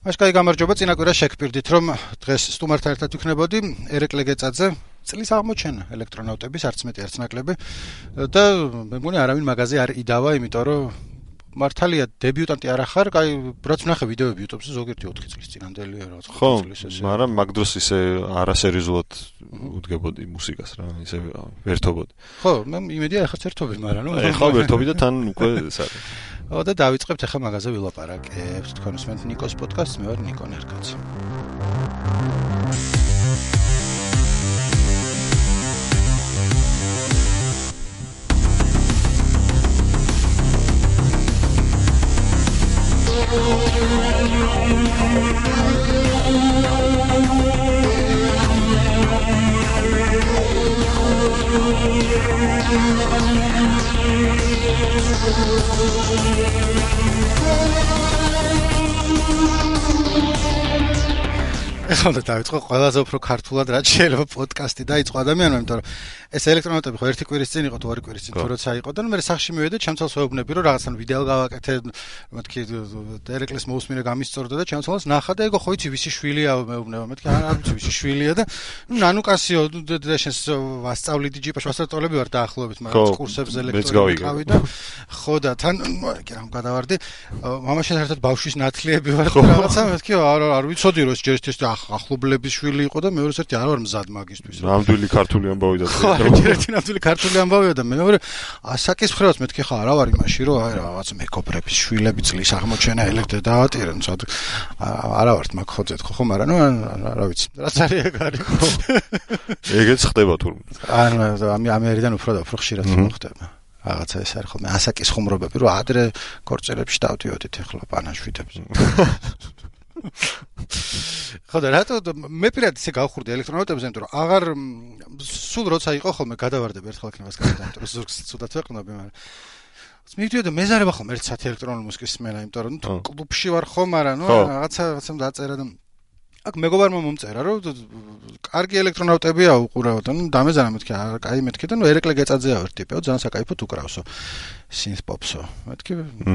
Ашკაი გამარჯობა, წინა კვირას შეგფირდით, რომ დღეს სტუმართან ერთად ვიქნებოდი ერეკლე გეწაძე, წლის აღმოჩენა ელექტრონავტების არც მეტი არც ნაკლები და მე მგონი არავინ მაგაზე არ იდავა, იმიტომ რომ მართალია დებიუტანტი არ ახარ, კაი, რაც ვნახე ვიდეოები YouTube-ზე ზოგიერთი 4 წლის წინანდელი რა 5 წლის ესე. მაგრამ მაგ დროს ისე არასერიოზულად უდგებოდი მუსიკას რა, ისე ვერთობოდი. ხო, მე იმედია ახაც ერთობი, მაგრამ ნუ ეხლა ვერთობი და თან უკვე სარი. და დავიწყებთ ახლა მაგაზე ვილაპარაკებთ. თქვენ უსმენთ ნიკოს პოდკასტს, მე ვარ ნიკო ნერკაცი. ეხლა დავიწყო ყველაზე უფრო ქართულად რაც შეიძლება პოდკასტი დაიწყო ადამიანმა, იმიტომ რომ ეს ელექტრონავტები ხო ერთი კვირის წინ იყო თუ ორი კვირის წინ თუ როცა იყო და მე სახში მივედე, ჩემცალს ვეუბნები რომ რაღაცა ვიდეო გავაკეთე, მეთქი ერეკლეს მოусმინე გამისწორდა და ჩემცალს ნახა და ეგო ხო იცი ვისი შვილია მეუბნება, მეთქი არ ვიცი ვისი შვილია და ნანუკასიო და შენს ვასწავლიდი ჯიპაში ვასწავლები ვარ დაახლოებით, მაგრამ კურსებზე ელექტრონიკავი და ხო და თან კი რამ გადავარდი, მამაშენ ერთად ბავშვის ნათლიები ვარ რაღაცა, მეთქი არ ვიცოდი რომ ეს ჯერ ეს ახლობლების შვილი იყო და მეორე ერთი არ ვარ მზად მაგისთვის. ნამდვილი ქართული ამბავი და ერთი ნამდვილი ქართული ამბავია და მეორე ასაკისფრევაც მეთქი ხა არა ვარ იმაში რომ აი რაღაც მეგობრების შვილები წლის აღმოჩენა ელექტრე დაატირენ ცოტა არა ვარ მაგ ხოძეთ ხო მაგრამ ნუ რა ვიცი რაც არის ეგ არის ეგეც ხდება თურმე ამ ერიდან უფრო და უფრო ხშირად ხდება რაღაცა ეს არის ხოლმე ასაკის ხუმრობები რომ ადრე კორწერებში დავდიოდით ახლა პანაშვიდებს ხო და რატო მე პირადად ისე გავხურდი ელექტრონავტებზე, იმიტომ რომ აღარ სულ როცა იყო ხოლმე გადავარდები ერთხელ იქნებას გადავარდები, იმიტომ რომ ზურგს ცუდად ვეყნობი, მაგრამ მივიდიოდა მეზარება ხოლმე ერთ საათი ელექტრონული მუსიკის სმენა, იმიტომ რომ კლუბში ვარ ხო, მაგრამ ნუ რაღაცამ დაწერა და აქ მეგობარმა მომწერა რომ კარგი ელექტრონავტებია უყურავდა, ნუ დამეზარა მეთქი, კაი მეთქი და ნუ ერეკლე გეწაძეა ერთ ტიპიო, ძალიან საკაიფოდ უკრავსო. Synth popso. მეთქი,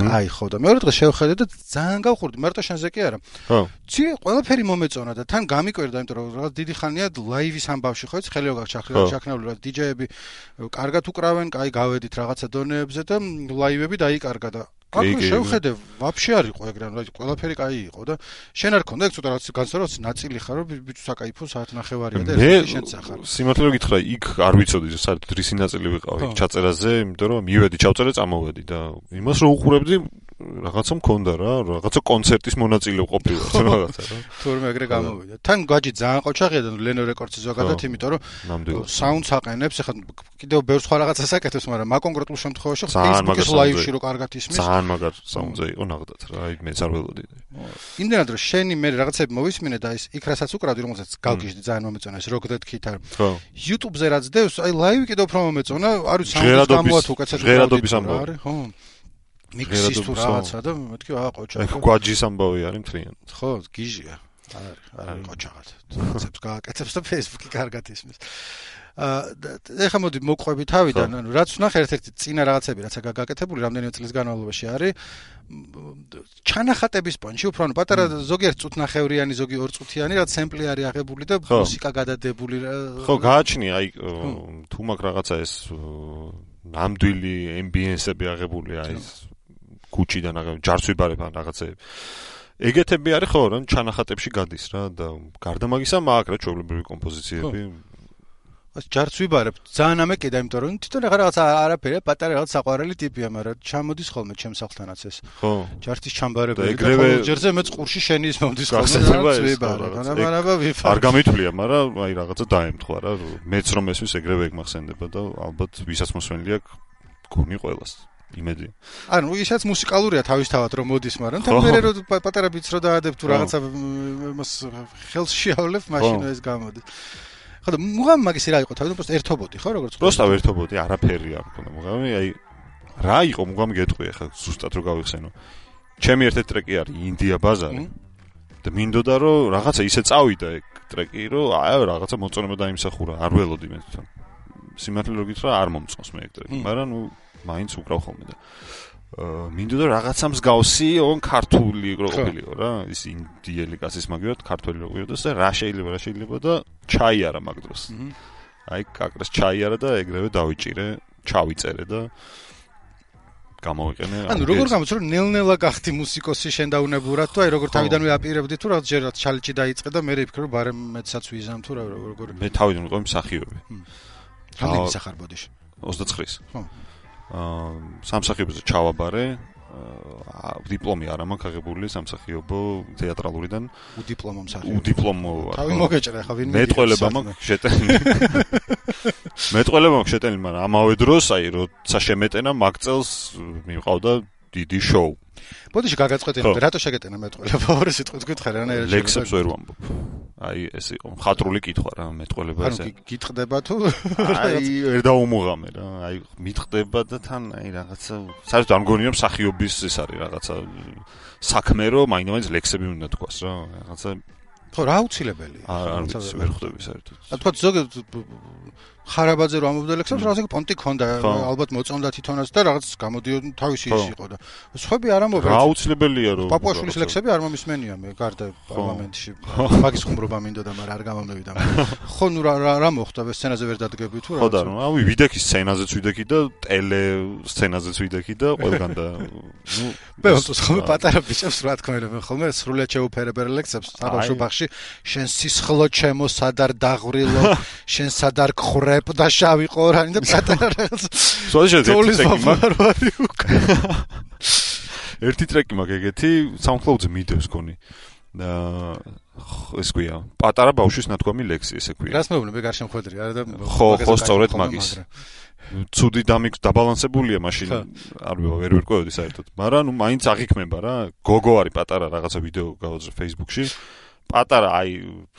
აი ხო და მეორე დღეს შევხედე და ძალიან გავხურდი, მარტო შენზე კი არა. ხო. ცი ყველაფერი მომეწონა და თან გამიკვირდა, იმიტომ რომ რაღაც დიდი ხანია ლაივის ამბავში ხო იცი, ხელიო გაჩახრებული რა DJ-ები კარგად უკრავენ, კაი გავედით რაღაცა დონეებზე და ლაივები დაიკარგა და აქ შევხედე, ვაფშე არ იყო ეგრე, რა ყველაფერი კაი იყო და შენ არ ქონდა ეგ ცოტა რაღაც განსაკუთრებით ნაწილი ხარო ბიჭო საკაიფო საათნახევარია და ერთი შენც ახარ. სიმართლე გითხრა, იქ არ ვიცოდი საერთოდ რისი ნაწილი ვიყავი ჩაწერაზე, იმიტომ რომ მივედი ჩავწერე წამოვედი და იმას რო უყურებდი რაღაცა მქონდა რა, რაღაცა კონცერტის მონაწილე ყოფილა, რაღაცა რა. თურმე ეგრე გამოვიდა. თან გაჯი ძალიან ყოჩაღია და Leno Records-ი ზოგადად, იმიტომ რომ საუნდს აყენებს, ეხლა კიდევ ბევრ სხვა რაღაცას აკეთებს, მაგრამ მაგ კონკრეტულ შემთხვევაში Facebook-ის live-ში რო კარგად ისმის. ძალიან მაგარ საუნდზე იყო ნახდათ რა, აი მეც არ ველოდი. იმდენად რომ შენი მე რაღაცები მოვისმინე და ის იქ რასაც უკრავდი, რომელსაც გავგიჟდი ძალიან მომეწონა ეს Rock That Guitar. YouTube-ზე რაც დევს, აი live კიდევ უფრო მომეწონა, არ ვიცი საუნდს გამოათ უკაცად ჟღერადობის ამბავი. ხო. მიქსის თუ რაღაცა და მეთქი ყოჩა. აი გვაჯის ამბავი არის მთლიან. ხო, გიჟია. არ ყოჩაღად. რაღაცებს გააკეთებს და Facebook-ი კარგად ისმის. ეხლა მოდი მოყვები თავიდან, ანუ რაც ვნახე ერთ-ერთი წინა რაღაცები, რაც გაკეთებული რამდენიმე წლის განმავლობაში არის ჩანახატების პონჩი, უფრო ანუ პატარა ზოგიერთ წუთნახევრიანი, ზოგი 2 წუთიანი რაც სემპლი არის აღებული და მუსიკა გადადებული. ხო, გააჩნია აი თუ მაგ რაღაცა ეს ნამდვილი ambience-ები აღებულია ის კუჩიდან ჯარცვიბარებ ან რაღაცეები. ეგეთები არის ხო, რა ჩანახატებში გადის რა და გარდა მაგისა მაქვს რა ჩვეულებრივი კომპოზიციები. ჯარცვიბარებ ძალიან ამეკიდა, იმიტომ რომ თვითონ რაღაცა არაფერია, პატარა რაღაც საყვარელი ტიპია, მაგრამ ჩამოდის ხოლმე ჩემს სახლთანაც ეს. ხო. ჯართის ჩამბარებელი და ხოლმე ჯერზე მეც ყურში შენი ის მომდის ხოლმე ცვიბარე. არ გამითვლია, მაგრამ აი რაღაცა დაემთხვა რა, მეც რომ ესვის ეგრევე ეგ მახსენდება და ალბათ ვისაც მოსვენილი აქვს გონი ყველას. იმედი. ანუ ისაც მუსიკალურია თავისთავად რომ მოდის, მაგრამ თან მე რო პატარა ბიც რო დაადებ თუ რაღაცა მას ხელს შეავლებ, მაშინ ეს გამოდის. ხო და მუღამ მაგისი რა იყო თავიდან просто ერთობოდი ხო როგორც просто ერთობოდი არაფერი არ მქონდა მუღამი აი რა იყო მუღამი გეტყვი ახლა ზუსტად რო გავიხსენო ჩემი ერთ-ერთი ტრეკი არის ინდია ბაზარი და მინდოდა რომ რაღაცა ისე წავიდა ეგ ტრეკი რომ აი რაღაცა მოწონება დაიმსახურა არ ველოდი მე თვითონ სიმართლე რო გითხრა არ მომწონს მე ეგ ტრეკი მაგრამ ნუ მაინც უკრავ ხოლმე და მინდოდა რაღაცა მსგავსი on ქართული რო ყოფილიყო რა ის ინდიელი კაცის მაგივრად ქართველი რო ყოფილიყო და რა შეიძლება და ჩაიარა მაგ დროს აი კაკრას ჩაიარა და ეგრევე დავიჭირე ჩავიწერე და გამოვიყენე ანუ როგორ გამოც რომ ნელ-ნელა გახდი მუსიკოსი შენ დაუნებურად თუ აი როგორ თავიდანვე აპირებდი თუ რაღაც ჯერ ჩალიჭი დაიწყე და მე ვიფიქრე რომ ბარემ მეცაც ვიზამ თუ როგორ მე თავიდან ვიყავი მსახიობი რამდენი სახარ ბოდიში 29-ის ხო სამსახიობოზე ჩავაბარე დიპლომი არ მაქვს აღებული სამსახიობო თეატრალურიდან უდიპლომო მსახიობი უდიპლომო თავი მოგეჭრე ხა ვინმე მეტყველება მაქვს შეტენილი მეტყველება მაქვს შეტენილი მაგრამ ამავე დროს აი როცა შემეტენა მაგ წელს მივყავდა დიდი შოუ ბოდიში გაგაწყვეტინე რატო შეგეტენა მეტყველება ორი სიტყვით გითხარ რანაირად ლექსებს ვერ ვამბობ აი ეს იყო მხატვრული კითხვა რა მეტყველება ესე ანუ გიტყდება თუ აი ვერ დაუმოღამე რა აი მიტყდება და თან აი რაღაცა საერთოდ არ მგონია მსახიობის ეს არის რაღაცა საქმე რომ მაინც ლექსები უნდა თქვას რა რაღაცა ხო რა აუცილებელი არ ვერ ხვდები საერთოდ რა თქვა ზოგადად ხარაბაძე რომ ამბობდა ლექსებს რაღაცა პონტი ქონდა ალბათ მოწონდა თვითონაც და რაღაც გამოდიოდა თავისი ის იყო და სხვები არ ამბობენ რა აუცილებელია რომ პაპუაშვილის ლექსები არ მომისმენია მე გარდა პარლამენტში მაგის ხუმრობა მინდოდა მაგრამ არ გამომივიდა ხო ნუ რა მოხდა სცენაზე ვერ დადგები თუ რა ხო და რავი ვიდექი სცენაზეც ვიდექი და ტელე სცენაზეც ვიდექი და ყველგან და ნუ მე ვთქვი ხოლმე პატარა ბიჭებს რა თქმა უნდა ხოლმე სრულად შეუფერებელ ლექსებს საბავშვო ბაღში შენ სისხლო ჩემო სადარ დაღვრილო შენ სადარ გხრებ და შავი ყორანი და პატარა რაღაც ერთი ტრეკი მაქვს ეგეთი SoundCloud-ზე მიდევს გონი ეს ქვია პატარა ბავშვის ნათქვამი ლექსი ესე ქვია რას მეუბნები გარშემო ხვედრი არა და ხო სწორედ მაგის ცუდი დაბალანსებულია მაშინ არ ვერ ვერკვევდი საერთოდ მაგრამ ნუ მაინც აღიქმება რა გოგო არის პატარა რაღაცა ვიდეო გავაძრე Facebook-ში პატარა აი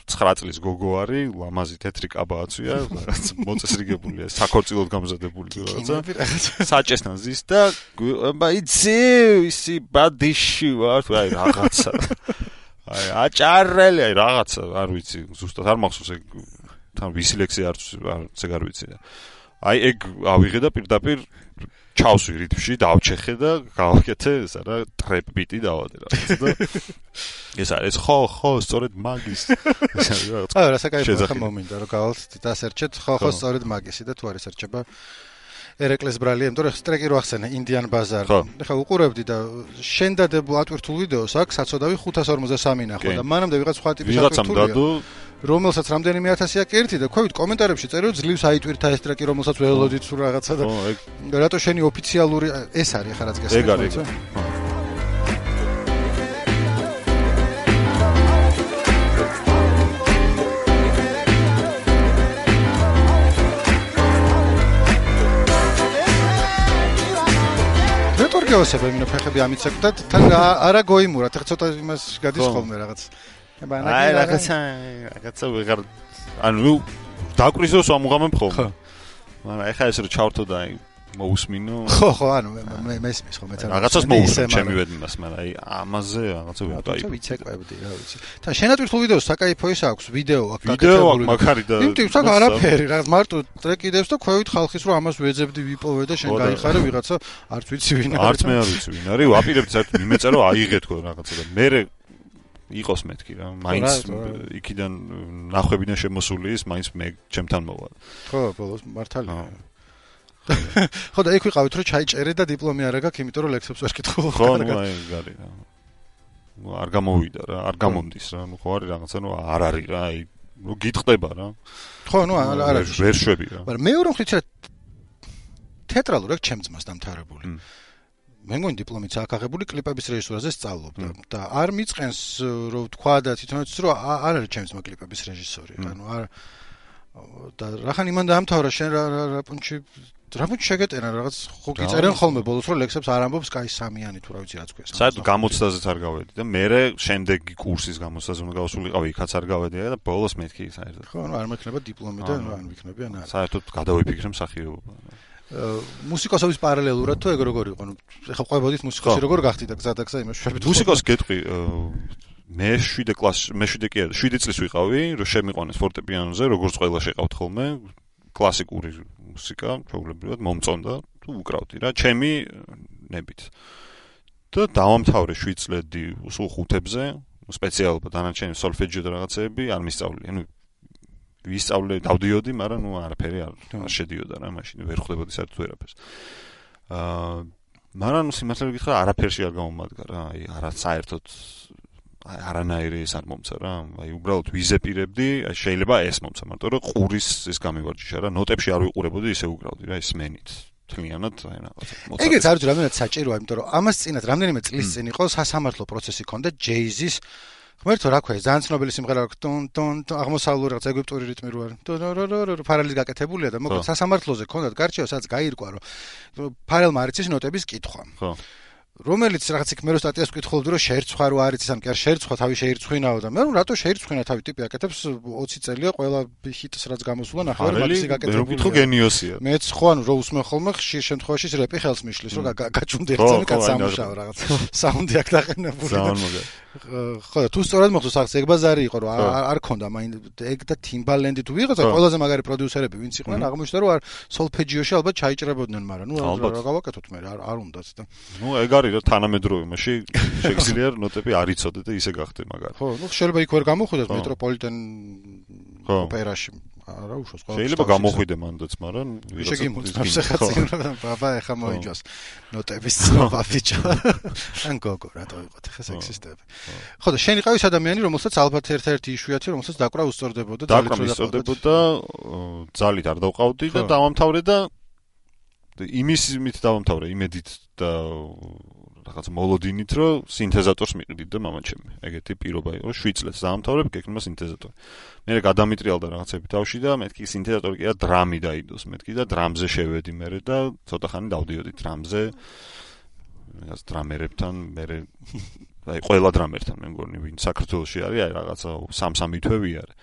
9 წლის გოგო არის ლამაზი თეთრი კაბა აცვია რაღაც მოწესრიგებულია საქორწილოდ გამზადებული რაღაცა საჭესთან ზის და იცი ისი ბადიში ვარ აი რაღაცა აი აჭარელი აი რაღაცა არ ვიცი ზუსტად არ მახსოვს ეგ თან ვისი ლექსი არც ეგ არ ვიცი აი ეგ ავიღე და პირდაპირ ჩავსვი რიტმში დავჩეხე და გავაკეთე ეს არა ტრეპ ბიტი დავადე რაღაცა და ეს არის ხო სწორედ მაგის აი რა საკაიფო ხა მომინდა რომ გავალთ დასერჩეთ ხო სწორედ მაგისი და თუ არის ერჩება ერეკლეს ბრალი იმიტომ რომ ტრეკი რო ახსენე ინდიან ბაზარი ეხლა უყურებდი და შენ დადებულ ატვირთულ ვიდეოს აქვს საწოდავი 553 ნახო და მანამდე ვიღაც სხვა ტიპის ატვირთულია რომელსაც რამდენიმე ათასია კერთი და ქვევით კომენტარებში წერილ ძლივს აიტვირთა ეს ტრეკი რომელსაც ველოდით თუ რაღაცა და რატო შენი ოფიციალური ეს არის ახლა რაც გესმის ეგ არის გეოსება იმენა ფეხები ამიცეკ და თან არა გოიმურა ეხა ცოტა იმას გადის ხოლმე რაღაც აი რაღაცა ვეღარ ანუ დაკვრის ამუღამებ ხოლმე მაგრამ ეხა ეს რო ჩავრთო და აი მოусმინო ხო ანუ მე მესმის ხო მეც რაღაცას მოусმენ ჩემი ვედმას მაგრამ აი ამაზე რაღაცა ვიყავი ვიცეკვებდი რა ვიცი თან შენატვირთულ ვიდეოს საკაიფო ის აქვს ვიდეო აქვს ვიდეო აქვს მაგარი და იმიტომ საკ არაფერი რაღაც მარტო ტრეკი დევს და ქვევით ხალხის რომ ამას ვეძებდი ვიპოვე და შენ გაიხარე ვიღაცა არც ვიცი ვინ არის არც მე არ ვიცი ვინ არის ვაპირებდი საერთოდ მიმეწერო აიღე თქო რაღაცა და მე იყოს მეთქი რა მაინც იქიდან ნახვებიდან შემოსული ის მაინც მე ჩემთან მოვა ხო ბოლოს მართალია ხო და იქ ვიყავით რომ ჩაიჭერე და დიპლომი არ აქვს იმიტომ რომ ლექსებს ვერ კითხულობ ხო ნუ აი გარი რა ნუ არ გამოვიდა რა არ გამომდის რა ნუ ხო არის რაღაცა ნუ არ არის რა აი ნუ გიტყდება რა ხო ნუ არ არის ვერ შვები რა მაგრამ მეორე მხრივ თეატრალურად აქვს ჩემ ძმას დამთავრებული მე მგონი დიპლომიც აქვს აღებული კლიპების რეჟისურაზე სწავლობდა და არ მიწყენს რომ თქვა და თვითონაც რომ არ არის ჩემ ძმა კლიპების რეჟისორი ანუ არ და რახან იმან დაამთავრა შენ რა პუნჩი შეგეტენა რაღაც ხო გიწერენ ხოლმე ბოლოს რომ ლექსებს არ ამბობს კაი სამიანი თუ რა ვიცი რაც ქვია საერთოდ გამოცდაზეც არ გავედი და მე შემდეგი კურსის გამოცდაზე უნდა გავასულიყავი იქაც არ გავედი და ბოლოს მეთქი საერთოდ ხო ანუ არ მექნება დიპლომი და არ ვიქნები ან არა საერთოდ გადავიფიქრე მსახიობობა მუსიკოსობის პარალელურად თუ ეგ როგორ იყო? ეხლა ყვებოდით მუსიკოსი როგორ გახდით და გზა და გზა იმას შვებით. მუსიკოს გეტყვი მე 7 კლასში, მე 7 კი არა, 7 წლის ვიყავი, რომ შემიყვანეს ფორტეპიანოზე, როგორც ყველა შეყავთ ხოლმე, კლასიკური მუსიკა, ჩვეულებრივად მომწონდა თუ უკრავდი რა. ჩემი ნებით. და დავამთავრე 7 წლები სულ 5-ებზე, სპეციალობა დანარჩენი სოლფეჯიო და რაღაცეები არ მისწავლე. ანუ ვისწავლე, დავდიოდი, მაგრამ არაფერი არ შედიოდა რა, მაშინ ვერ ხვდებოდი საერთოდ ვერაფერს. მაგრამ სიმართლე გითხრა, არაფერში არ გამომადგა რა, აი არა საერთოდ არანაირი ეს არ მომცა რა. აი უბრალოდ ვიზეპირებდი, შეიძლება ეს მომცა, მაგრამ რომ ყურის ეს გამივარჯიშა რა, ნოტებში არ ვიყურებოდი, ისე უკრავდი რა, ეს მენით. თლიანად აი რაღაცა. ეგეც არის რამდენად საჭიროა, იმიტომ რომ ამას წინათ რამდენიმე წლის წინ იყო სასამართლო პროცესი ქონდა ჯეიზის ღმერთო რა ქვია, ძალიან ცნობილი სიმღერა აქვს, ტონ აღმოსავლური რაღაც ეგვიპტური რიტმი რო არის. ფარალის გაკეთებულია და მოკლედ სასამართლოზე ქონდათ გარჩევა, სადაც გაირკვა, რომ ფარელმა არ იცის ნოტების კითხვა. ხო. რომელიც რაღაც იქ მე რო სტატიას ვკითხულობდი, რომ შეერცვა რო არ იცის, ან კი არ შეერცვა, თავი შეერცხვინაო და მე რომ რატო შეერცხვინა თავი ტიპი აკეთებს 20 წელია ყველა ჰიტს რაც გამოსულა ნახევარი მაქსი გაკეთებული. მე ვკითხო გენიოსია. მეც ხო ანუ რო უსმენ ხოლმე ხშირ შემთხვევაში რეპი ხელს მიშლის, რომ გაჩუნდი ერთზენი კაცამუშაო რაღაც. საუნდი აქ დაყენებული. ხო და თუ სწორად მოხდა სახს ეგ ბაზარი იყო რომ არ ქონდა მაინც ეგ და Timbaland თუ ვიღაცა ყველაზე მაგარი პროდიუსერები ვინც იყვნენ აღმოჩნდა რომ არ სოლფეჯიოში ალბათ ჩაიჭრებოდნენ მაგრამ ნუ რა გავაკეთოთ მე არ უნდათ და ნუ ეგ არის რა თანამედროვეობაში შეგიძლია ნოტები არ იცოდე და ისე გახდე მაგარი ხო ნუ შეიძლება იქ ვერ გამოხვიდეთ მეტროპოლიტენ ოპერაში არა უშავს ყველა შეიძლება გამოხვიდე მანდაც მაგრამ შეგიმოწმებს ახლა ბაბა ეხა მოიჯოს ნოტების ცნობა ბიჭო ან გოგო რატო იყოთ ახლა სექსისტები ხო და შენ იყავის ადამიანი რომელსაც ალბათ ერთ-ერთი იშვიათი რომელსაც დაკვრა უსწორდებოდა ძალით არ დავყავდი და დავამთავრე და იმისით დავამთავრე იმედით და რაღაც მოლოდინით რომ სინთეზატორს მიყიდით და მამაჩემი ეგეთი პირობა იყო 7 წელს დაამთავრებ გეკნება სინთეზატორი მე გადამიტრიალდა რაღაცები თავში და მეთქი სინთეზატორი კი და დრამი დაიდოს მეთქი და დრამზე შევედი მე და ცოტა ხანი დავდიოდი დრამზე რაღაც დრამერებთან მე აი ყველა დრამერთან მე მგონი ვინ საქართველოში არის აი რაღაცა 3 თვე არის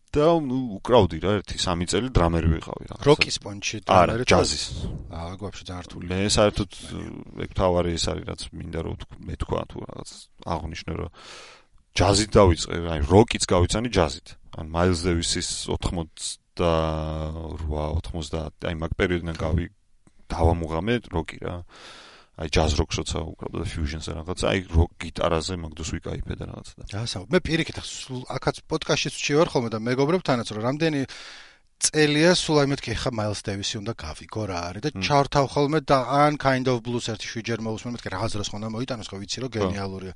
და უკრავდი რა 1-3 წელი დრამერი ვიყავი რა. როკის პონჩი დრამერი და ჯაზის. გვაფშე ძალიან რთული. მე საერთოდ ეგ თავარი ეს არის რაც მინდა რომ მე თქვა თუ რაღაც აღნიშნე რომ ჯაზით დავიწყე, აი როკიც გავიცანი ჯაზით. ან მაილს დევისის 88-90 აი მაგ პერიოდიდან დავამუღამე როკი რა. აი ჯაზ როკს როცა უკრავდა და ფიუჟენზე რაღაცა, აი როკ გიტარაზე მაგდოს ვიკაიფე და რაღაცა და. ასაო, მე პირიქით ახაც პოდკასტშიც ვჩივარ ხოლმე და მეგობრებთანაც რომ რამდენი წელია სულ აი მეთქი ხა მაილს დევისი უნდა გავიგო რა არის და ჩავრთავ ხოლმე და ან kind of blues ერთი შვიჯერ მოусმენ მეთქი რაღაც დროს ხონდა მოიტანოს ხო ვიცი რომ გენიალურია.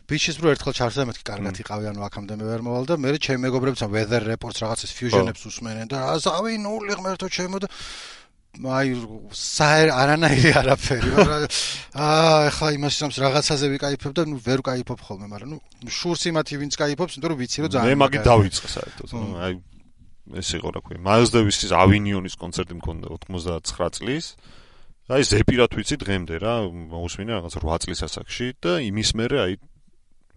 ბიჩის რო ერთხელ ჩარსდა მეთქი კარგად იყავი ანუ აქამდე მე ვერ მოვალ და მე ჩემი მეგობრებთან weather reports რაღაცის ფიუჟენებს უსმენენ და აზავი ნული ღმერთო ჩემო და აი არანაირი არაფერი ეხლა იმასაც რაღაცაზე ვიკაიფებ და ნუ ვერ ვკაიფობ ხოლმე მაგრამ ნუ შურს იმათი ვინც კაიფობს იმიტომ რომ ვიცი რომ ძალიან მე მაგით დავიწყე საერთოდ აი ეს იყო რა ქვია მაილს დევისის ავინიონის კონცერტი მქონდა 99 წლის აი ზეპირად ვიცი დღემდე რა მოусმინე რაღაც 8 წლის ასაკში და იმის მერე აი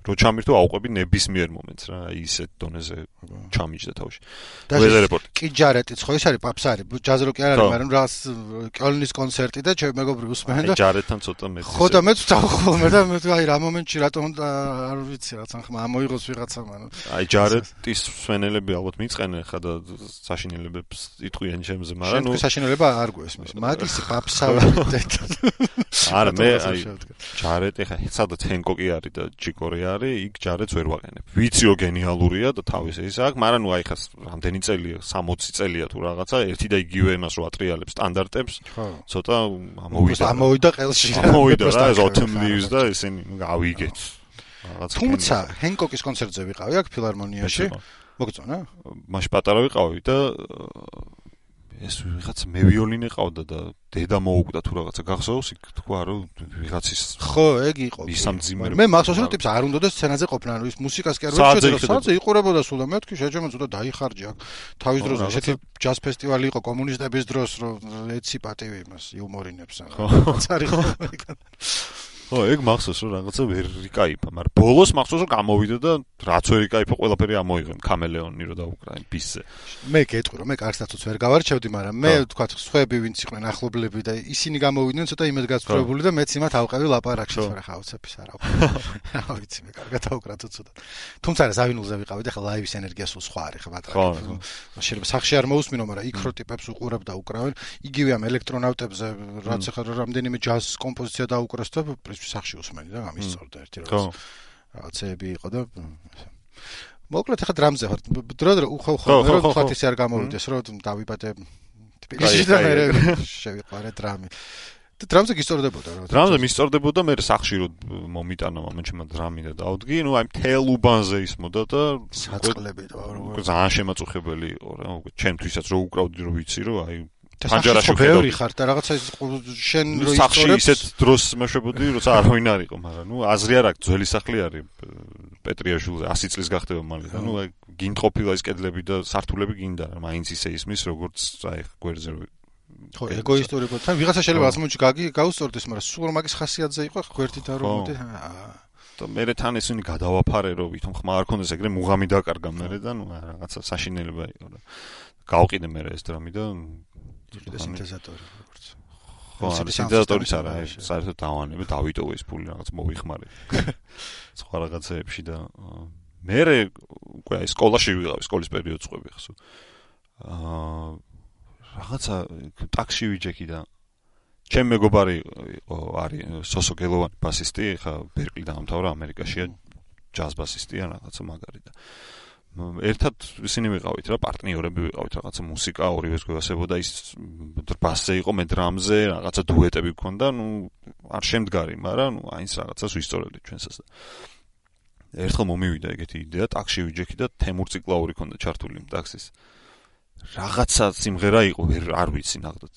რო ჩამირთო აუყვები ნებისმიერ მომენტს რა ისეთ დონეზე ჩამიჯდა თავში weather report კი ჯარეტიც ხო ის არის პაპსარი ჯაზ როკი არ არის მაგრამ რაღაც კოლნის კონცერტი და ჩემ მეგობრი უსმენ და ჯარეტთან ცოტა მეტი ხო და მეც ვთხოვხოლმე და მე აი რა მომენტში რატომ არ ვიცი რაღაც ან ხმა ამოიღოს ვიღაცა მაგრამ აი ჯარეტის სვენელები ალბათ მიწყენენ ხა და საშინელებებს იტყვიან ჩემზე მაგრამ ნუ საშინელება არ გვესმის მაგისი პაპსარი არა მე აი ჯარეტი ხა სადაც ჰენკოკი არის და ჯიკორი არის იქ ჯარეთს ვერ ვაყენებ. ვიცი რომ გენიალურია და თავის ის აქვს, მაგრამ ნუ აი ხა რამდენი წელია, 60 წელია თუ რაღაცა, ერთი და იგივე იმას რო ატრიალებს სტანდარტებს. ცოტა ამოვიდა ყელში. ამოვიდა რა ეს autumn leaves და ესენი გავიგეთ. რაღაცა. თუმცა ჰენკოკის კონცერტზე ვიყავი აქ ფილარმონიაში. მოგწონა? მაშ პატარა ვიყავი და ეს ვიღაც მე ვიოლინე ყავდა და დედა მოუკვდა თუ რაღაცა გახსოვს იქ თქვა რომ ვიღაცის ხო ეგ იყო მე მახსოვს რომ ტიპს არ უნდოდა სცენაზე ყოფნა ანუ ის მუსიკას კი არ ვეცედა სადზე იყურებოდა სულ და მე თქვი შეჯემო ცოტა დაიხარჯა აქ თავის დროს ესეთი ჯაზ ფესტივალი იყო კომუნისტების დროს რომ ეცი პატივი იმას იუმორინებს ხო ცარი ხო ხო, ეგ მახსოვს რომ რაღაცა ვერ იკაიფა, მაგრამ ბოლოს მახსოვს რომ გამოვიდა და რაც ვერ იკაიფა, ყველაფერი ამოიღო კამელეონი რომ დაუკრა ბისზე. მე გეტყვი რომ მე კარსტაცოც ვერ გავარჩევდი, მაგრამ მე თქვა სხვები ვინც იყვნენ ახლობლები და ისინი გამოვიდნენ ცოტა იმედ გაცხრებული და მეც იმათ ავყევი ლაპარაკში, მაგრამ ხა უცების არა ვქნა. რა ვიცი მე კარგად ავკრა ცოტა. თუმცა რა ზავინულზე ვიყავით, ახლა ლაივის ენერგია სულ სხვა არის ხა ბატონო. შეიძლება სახში არ მოусმინო, მაგრამ იქ რო ტიპებს უყურებ და უკრავენ, იგივე ამ ელექტრონავტებზე რაც ახლა რამდენიმე ჯაზ კომპოზიცია დაუკრას და სახში უსმენი და გამისწორდა ერთი რაღაცეები იყო და მოკლედ ახლა დრამზე ვარ დრო უხო მე რო თქვათ ისე არ გამოვიდეს რომ დავიბადე თბილისში და მე შევიყვარე დრამი და დრამზე გისწორდებოდა რა დრამზე მისწორდებოდა მე სახში რომ მომიტანა მომენტში დრამი და დავდგი ნუ აი მთელ უბანზე ისმოდა და საწყლები და ძალიან შემაწუხებელი იყო რა ჩემთვისაც რო უკრავდი რომ ვიცი რომ აი ფანჯარაში ბევრი ხარ და რაღაცა შენ რო ისწორებს ისეთ დროს მეშვებოდი როცა არავინ არ იყო მაგრამ ნუ აზრი არ აქვს ძველი სახლი არის პეტრიაშვილზე 100 წლის გახდება მალე და ნუ გინდყოფილა ის კედლები და სართულები გინდა რა მაინც ისე ისმის როგორც აი გვერდზე ხო ეგოისტურებოდ თან ვიღაცა შეიძლება ასმოჩი გაუსწორდეს მაგრამ სულ მაგის ხასიათზე იყო გვერდით არ მომდე და მე თან ესენი გადავაფარე რომ ვითომ ხმა არ ქონდეს ეგრე მუღამი დაკარგა მე და ნუ რაღაცა საშინელება იყო და გავყიდე მე ეს დრამი და სინთეზატორი როგორც ხო სინთეზატორიც არა საერთოდ დავანები დავიტოვე ეს ფული რაღაც მოვიხმარე სხვა რაღაცეებში და მე უკვე აი სკოლაში ვიყავი სკოლის პერიოდს ყვები ხსო რაღაცა ტაქსში ვიჯექი და ჩემ მეგობარი არის სოსო გელოვანი ბასისტი ხა ბერკლი დაამთავრა ამერიკაშია ჯაზ ბასისტია რაღაცა მაგარი და ერთად ისინი ვიყავით რა პარტნიორები ვიყავით რაღაცა მუსიკა ორივეს გვევასებოდა ის ბასზე იყო მე დრამზე რაღაცა დუეტები გქონდა ნუ არ შემდგარი მაგრამ ნუ აინც რაღაცას ვისწორებდი ჩვენსაც ერთხელ მომივიდა ეგეთი იდეა ტაქსში ვიჯექი და თემურ ციკლაური ქონდა ჩართული ტაქსის რაღაცა სიმღერა იყო არ ვიცი ნახდათ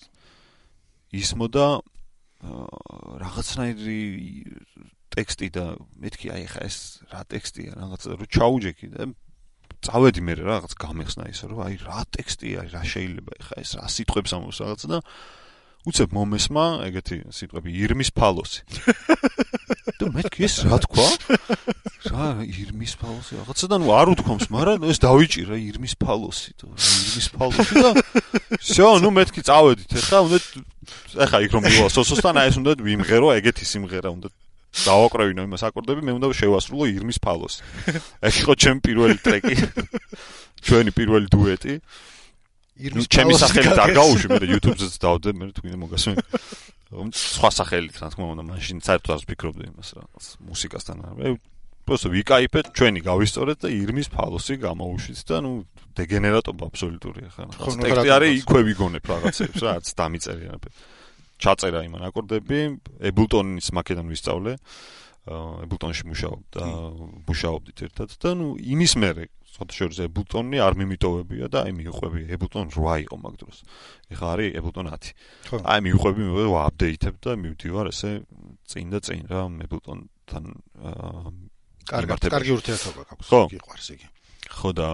ისმოდა რაღაცნაირი ტექსტი და მეთქი აი ხა ეს რა ტექსტია რაღაცა რო ჩაუჯექი და წავედი მე რაღაც გამეხსნა ისე რომ აი რა ტექსტია რა შეიძლება ხა ეს რა სიტყვებს ამოს რაღაცა და უცებ მომესმა ეგეთი სიტყვები ირმის ფალოსი და მეთქი ეს რა თქვა რა ირმის ფალოსი რაღაცა და ნუ არ უთქვამს მაგრამ ეს დავიჭირა ირმის ფალოსი და ირმის ფალოსი და всё ნუ მეთქი წავედით ეხა უნდა ეხა იქ რომ მივალ სოსოსთან აი ეს უნდა ვიმღერო ეგეთი სიმღერა უნდა დავაკრავინო იმას აკორდები მე უნდა შევასრულო ირმის ფალოსი ეს იყო ჩემი პირველი ტრეკი ჩვენი პირველი დუეტი ირმის ჩემი სახელით არ გავუშვი მე YouTube-ზეც დავდე მე თქვენ მოგასმენ სხვა სახელით რა თქმა უნდა მაშინ საერთოდ არ ვფიქრობდი იმას რა მუსიკასთან მე просто ვიკაიფეთ ჩვენი გავისწორეთ და ირმის ფალოსი გამოვუშვით და ნუ დეგენერატობა აბსოლუტურია ხა ტექსტი არის იქვე ვიგონებ რაღაცებს რა არც დამიწერია ჩაწერა იმან აკორდები ებულტონის მაკედან ვისწავლე ებულტონში მუშაობდით ერთად და ნუ იმის მერე ცოტა შორის ებულტონი არ მიმიტოვებია და აი მიუყვები ებულტონ 8 იყო მაგ დროს ეხლა არის ებულტონ 10 აი მიუყვები მე ვაპდეითებ და მივდივარ ესე წინ და წინ რა ებულტონთან კარგი ურთიერთობა გაქვს გიყვარს იგი ხო და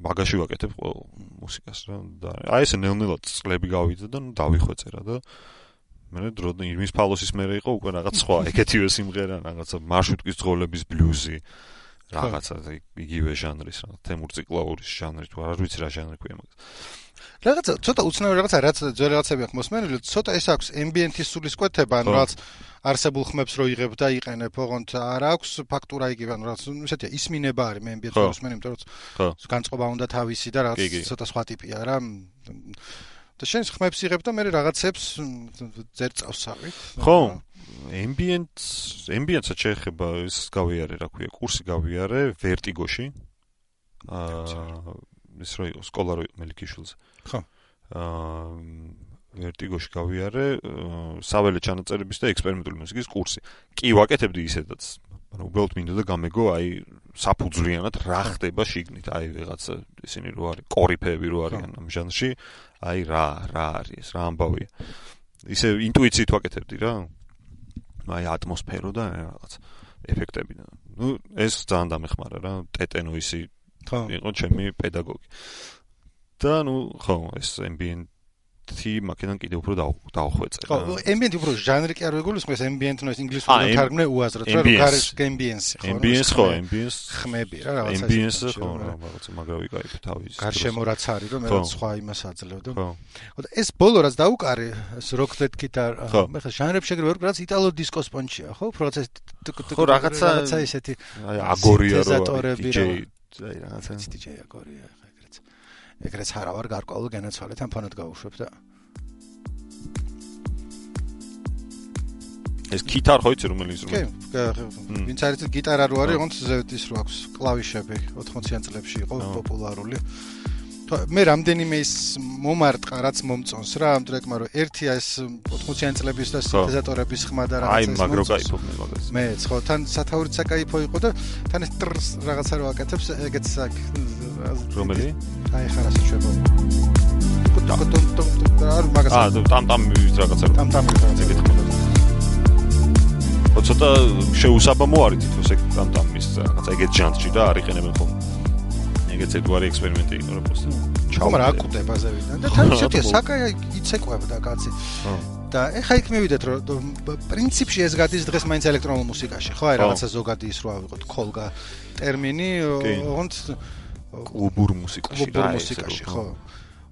მაგაში ვაკეთებ ყოველ მუსიკას რა და აი ესე ნელ-ნელა წლები გავიდა და ნუ დავიხვეწე რა და მე დროდან ირმის ფალოსის მერე იყო უკვე რაღაც სხვა ეგეთივე სიმღერა რაღაცა მარშრუტკის ძღოლების ბლუზი რაღაცა იგივე ჟანრის რა თემურ ციკლაურის ჟანრი თუ არ ვიცი რა ჟანრი ქვია მაგას რაღაცა ცოტა უცნაური რაღაცა რაც ძველი რაღაცები აქვს მოსმენილი ცოტა ეს აქვს ემბიენტის სულისკვეთება ან რაც არსებულ ხმებს რო იღებ და იყენებ ოღონდ არ აქვს ფაქტურა იგივე ან რაც ისეთია ისმინება არის მე ემბიენტს მოსმენი იმიტომ რომ განწყობა უნდა თავისი და რაღაც ცოტა სხვა ტიპია რა და შენ ხმებს იღებ და მე რაღაცებს ძერწავსავით ხო ემბიენტსაც შეეხება ის გავიარე რა ქვია კურსი გავიარე ვერტიგოში ის რო იყო სკოლა რო მელიქიშვილზე ხო ვერტიგოში გავიარე საველე ჩანაწერების და ექსპერიმენტული მუსიკის კურსი კი ვაკეთებდი ისედაც მაგრამ უბრალოდ მინდოდა გამეგო აი საფუძვლიანად რა ხდება შიგნით აი ვიღაც ისინი რო არის კორიფეები რო არიან ამ ჟანრში აი რა არის ეს რა ამბავია ისე ინტუიციით ვაკეთებდი რა აი ატმოსფერო და რაღაც ეფექტები და ნუ ეს ძალიან დამეხმარა რა ტეტენოისი იყო ჩემი პედაგოგი და ნუ ხო ეს ემბიენტ მაქედან კიდე უფრო დავხვეწე. ხო, ambient უფრო ჟანრი კი არ ვეგულისხმეს, ambient noise ინგლისურად თარგმნე უაზროდ, რა არის ambience, ხო? ambience ხო, ambience ხმები რა, რაღაცა. ambience ხო, რაღაცა მაგრამ ვიკაიფე თავის. გარშემო რაც არის, რომ მე სხვა იმას აძლევდო. ხო. და ეს ბოლო რაც დაუკარი, ეს rock that guitar, მე ხა ჟანრებში ეგრევე ვარ, რაც იტალო დისკოს პონჩია, ხო? უფრო რაღაცა ისეთი აგორია რო DJ აი რაღაცა DJ აგორია ეგრეც არა ვარ გარკვეულ განაცვალეთ ამ ფონად გავუშვებ და ეს გიტარ ხო იცი რომელიც კი ვინც არის გიტარა რო არის ოღონდ ის რო აქვს კლავიშები 80-იან წლებში იყო პოპულარული მე რამდენიმე ის მომარტყა რაც მომწონს რა ამ ტრეკმა რომ ერთია ეს 80-იან წლების და სინთეზატორების ხმა და რაღაცა აი მაგრო кайფობ მე მაგას მეც ხო თან სათაურიც საკაიფო იყო და თან ეს ტრს რაღაცა რო აკეთებს ეგეც რომელი აი ხარასი შვება არ მაგას ტამტამი რაღაცა ეგეთ ხმა ცოტა შეუსაბამო არის თითქოს ეგ ტამტამის რაღაცა ეგეთ ჟანრში და არ იყენებენ ხოლმე ეგეც ერთგვარი ექსპერიმენტი იყო რა პოსტი. მაგრამ აკუტებაზე ვიდან და თან შეთია საკაი იცეკვებდა კაცი. და ეხა იქ მივიდეთ რომ პრინციპში ეს გადის დღეს მაინც ელექტრონულ მუსიკაში, ხო? აი რაღაცა ზოგადი ის რო ავიღოთ ქოლგა ტერმინი, ოღონდ კლუბურ მუსიკაში, ხო.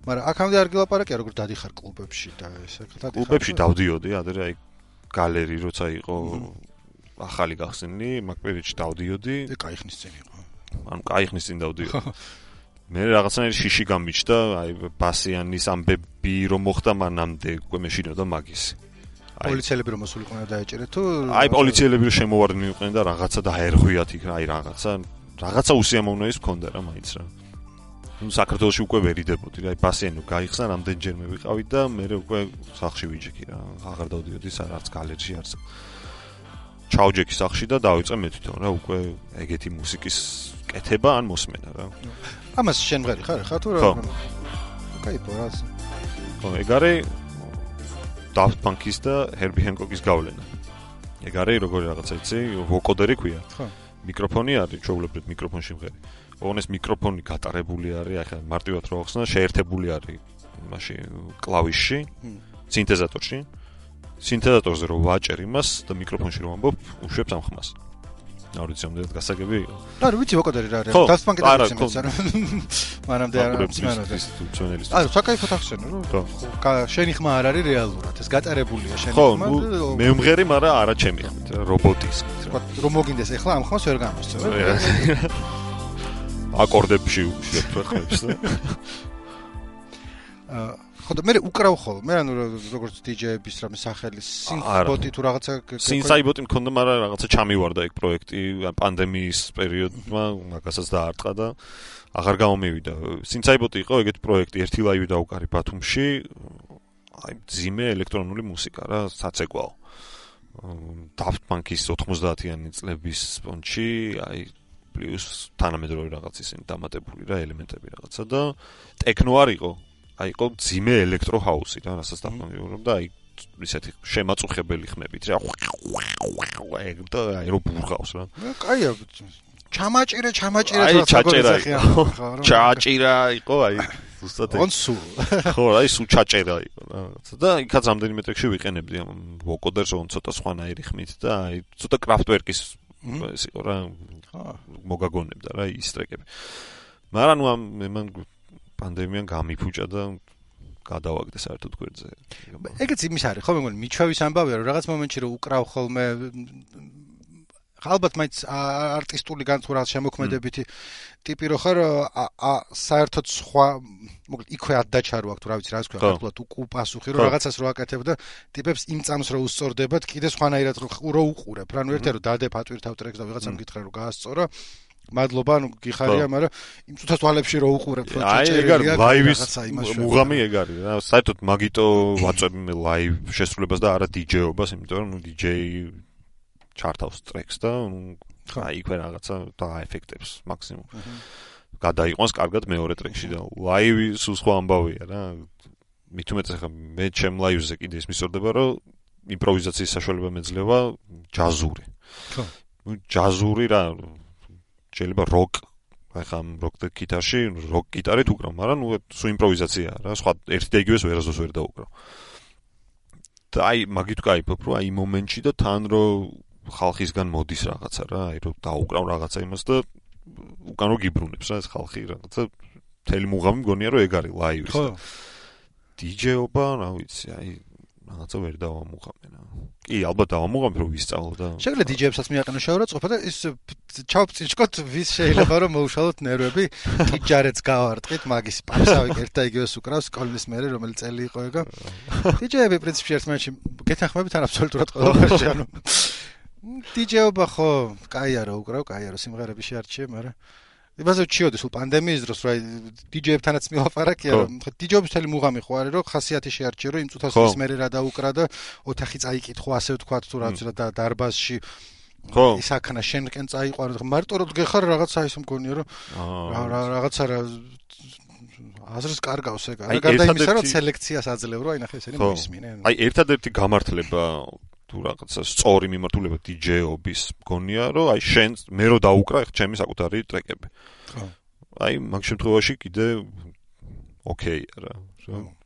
მაგრამ აქამდე არ გილაპარაკია როგორ დადიხარ კლუბებში და ესე დადიხარ. კლუბებში დავდიოდი, ადრე აი გალერი როცა იყო ახალი გახსნილი, მაგ პერიოდში დავდიოდი. და кайხნის წინ იყო. ანუ кайხნის წინ დავდიოდი. მე რაღაცნაირი შიში გამიჩნდა, აი ბასიანის ამბები რომ მოხდა მანამდე უკვე მეშინოდა მაგისი. პოლიციელები რომ მოსულიყვნენ და დაეჭერეთ თუ აი პოლიციელები რომ შემოვარდნენ მივყვნენ და რაღაცა დაერღვიათ იქ, აი რაღაცა უსიამოვნოის მქონდა რა მაინც რა. ნუ საქართველოში უკვე ვერიდებოდი რა, აი ბასიანი გაიხსნა, რამდენჯერმე ვიყავი და მე უკვე სახში ვიჯექი რა, აღარ დავდიოდი არც გალერში არც. ჩაუჯექი სახში და დავიწყე მე თვითონ რა, უკვე ეგეთი მუსიკის კეთება ან მოსმენა რა. ამას შენ მღერი ხარ თუ რა? კაიფო რა. ხო, ეგ არის Daft Punk-ის და Herbie Hancock-ის გავლენა. ეგ არის როგორი რაღაცა იცი, ვოკოდერი ქვია. ხო. მიკროფონი არის, ჩვეულებრივ მიკროფონში მღერი. ოღონდ ეს მიკროფონი გატარებული არის, ახლა მარტივად რო ახსნა, შეერთებული არის მაშინ კლავიშში, სინთეზატორში. სინთეზატორზე რო ვაჭერ იმას და მიკროფონში რო ამბობ, უშვებს ამ ხმას. არ ვიცი, ამდენად გასაგები იყო. არა, ვიცი ვოკოდერი რა არის. Daft Punk-ი და ვიცი რა. მანამდე არ მცენელის. არა, საკაიფო ახსენე რომ შენი ხმა არ არის რეალურად, ეს გატარებულია შენი ხმა. ხო, მე მღერი, მაგრამ არა ჩემი ხმით, რობოტის ხმით. რომ მოგინდეს ახლა ამ ხმას ვერ გამოსცემ. აკორდებში უშვებ ხმებს და ხო და მე უკრავ ხოლმე ანუ როგორც DJ-ების რამე სახელი სინსაიბოტი თუ რაღაცა სინსაიბოტი მქონდა მაგრამ რაღაცა ჩამივარდა ეგ პროექტი პანდემიის პერიოდმა მაგასაც დაარტყა და აღარ გამომივიდა სინსაიბოტი იყო ეგეთ პროექტი ერთი ლაივი დაუკარი ბათუმში აი ძიმე ელექტრონული მუსიკა რა საცეკვაო Daft Punk-ის 90-იანი წლების პონჩი აი პლუს თანამედროვე რაღაც ისინი დამატებული რა ელემენტები რაღაცა და ტექნო არ იყო აი იყო ძიმე ელექტრო ჰაუსი რა რასაც დამკვირვებდა აი ისეთი შემაწუხებელი ხმებით რა ეგ და აი რო ბურღავს რა კაია ჩამაჭირე აი ჩაჭირა იყო აი ზუსტად კონსულ ხო აი სულ ჩაჭერა იყო რაღაცა და იქაც რამდენიმე ტექში ვიყენებდი ამ ვოკოდერს on ცოტა სხვანაირი ხმით და აი ცოტა კრაფტვერკის ეს იყო რა მოგაგონებდა რა ის ტრეკები მაგრამ ნუ ამ პანდემიამ გამიფუჭა და გადავაგდე საერთოდ გვერდზე. ეგეც იმის არის, ხო მე მგონი მიჩვევის ამბავია, რომ რაღაც მომენტში რომ უკრავ ხოლმე ალბათ მაინც არტისტული განცურած შემოქმედებითი ტიპი რო ხარ საერთოდ სხვა მოკლედ იქვე ადდაჩა რო აქვს თუ რა ვიცი რა ის ქვია ხართულად უკუპასუხი რომ რაღაცას რო აკეთებ და ტიპებს იმ წამს რო უსწორდებათ კიდე სხვანაირად რო უყურებ რა ნუ ერთია რომ დადე ფატვირთავ ტრეკს და ვიღაცამ გითხრა რომ გაასწორა მადლობა, ანუ გიხარია, მაგრამ იმ წუთას თვალებში რო უყურებ, რო ჩაჭერილია ლაივის მუღამი ეგ არის რა. საერთოდ მაგიტო ვაწვევ მე ლაივ შესრულებას და არა DJ-ობას, იმიტომ რომ ნუ DJ ჩართავს ტრეკს და აი იქვე რაღაცა დააეფექტებს მაქსიმუმ. გადაიყვანს კარგად მეორე ტრეკში და ლაივი სულ სხვა ამბავია რა. მით უმეტეს ახლა მე ჩემ ლაივზე კიდე ის მისორდება, რომ იმპროვიზაციის საშუალება მეძლევა ჯაზური. ხო. ნუ ჯაზური რა შეიძლება როკ ახლა როკ გიტარში, როკ გიტარით უკრავ, მაგრამ სულ იმპროვიზაციაა რა, სხვა ერთი და იგივეს ვერასდროს ვერ დაუკრავ. და მაგით ვკაიფობ, რომ იმ მომენტში და თან რომ ხალხისგან მოდის რაღაცა რა, რომ დაუკრავ რაღაცა იმას და უკან რო გიბრუნებს რა ეს ხალხი რაღაცა მთელი მუღამი მგონია რომ ეგ არის ლაივის და დიჯეობა, რა ვიცი, რაღაცა ვერ დავამუღამენ. კი, ალბათ დავამუღამენ რომ ვისწავლო და შეიძლება დიჯეებსაც მიაყენო შევარაცხყოფა და ის ჩავწიჭკოთ ვის შეიძლება რომ მოუშალოთ ნერვები, დიჯარეთს გავარტყით, მაგის პასავი ერთ და იგივეს უკრავს სკოლის მერე რომელი წელი იყო ეგა. დიჯეები პრინციპში ერთმანეთში გეთანხმებით ან აბსოლუტურად ყველაფერში, ანუ დიჯეობა ხო, კაია რა უკრავ, კაია რა სიმღერები შეარჩიე, მაგრამ იმაზე ვჩიოდი სულ პანდემიის დროს, რა დიჯეებთანაც მილაპარაკია, რომ დიჯეობის მთელი მუღამი ხო არის, რომ ხასიათი შეარჩიე, რომ იმ წუთას ის მერე რა დაუკრა და ოთახი წაიკითხო, ასე ვთქვათ, თუ რაც და დარბაზში ხო ისაქნა შენკენ წაიყვარო, მარტო რომ გეხარ რაღაცა ის მგონია, რომ რაღაცა რა აზრს კარგავს ეგ. რა გარდა იმისა, რომ სელექციას აძლევ, რომ აი ნახე ესენი მოისმინე. აი ერთადერთი გამართლება თუ რაღაცა სწორი მიმართულება დიჯეობის მგონია, რომ აი შენ მე რო დაუკრა ჩემი საკუთარი ტრეკები. ხო. აი მაგ შემთხვევაში კიდე ოკეია რა.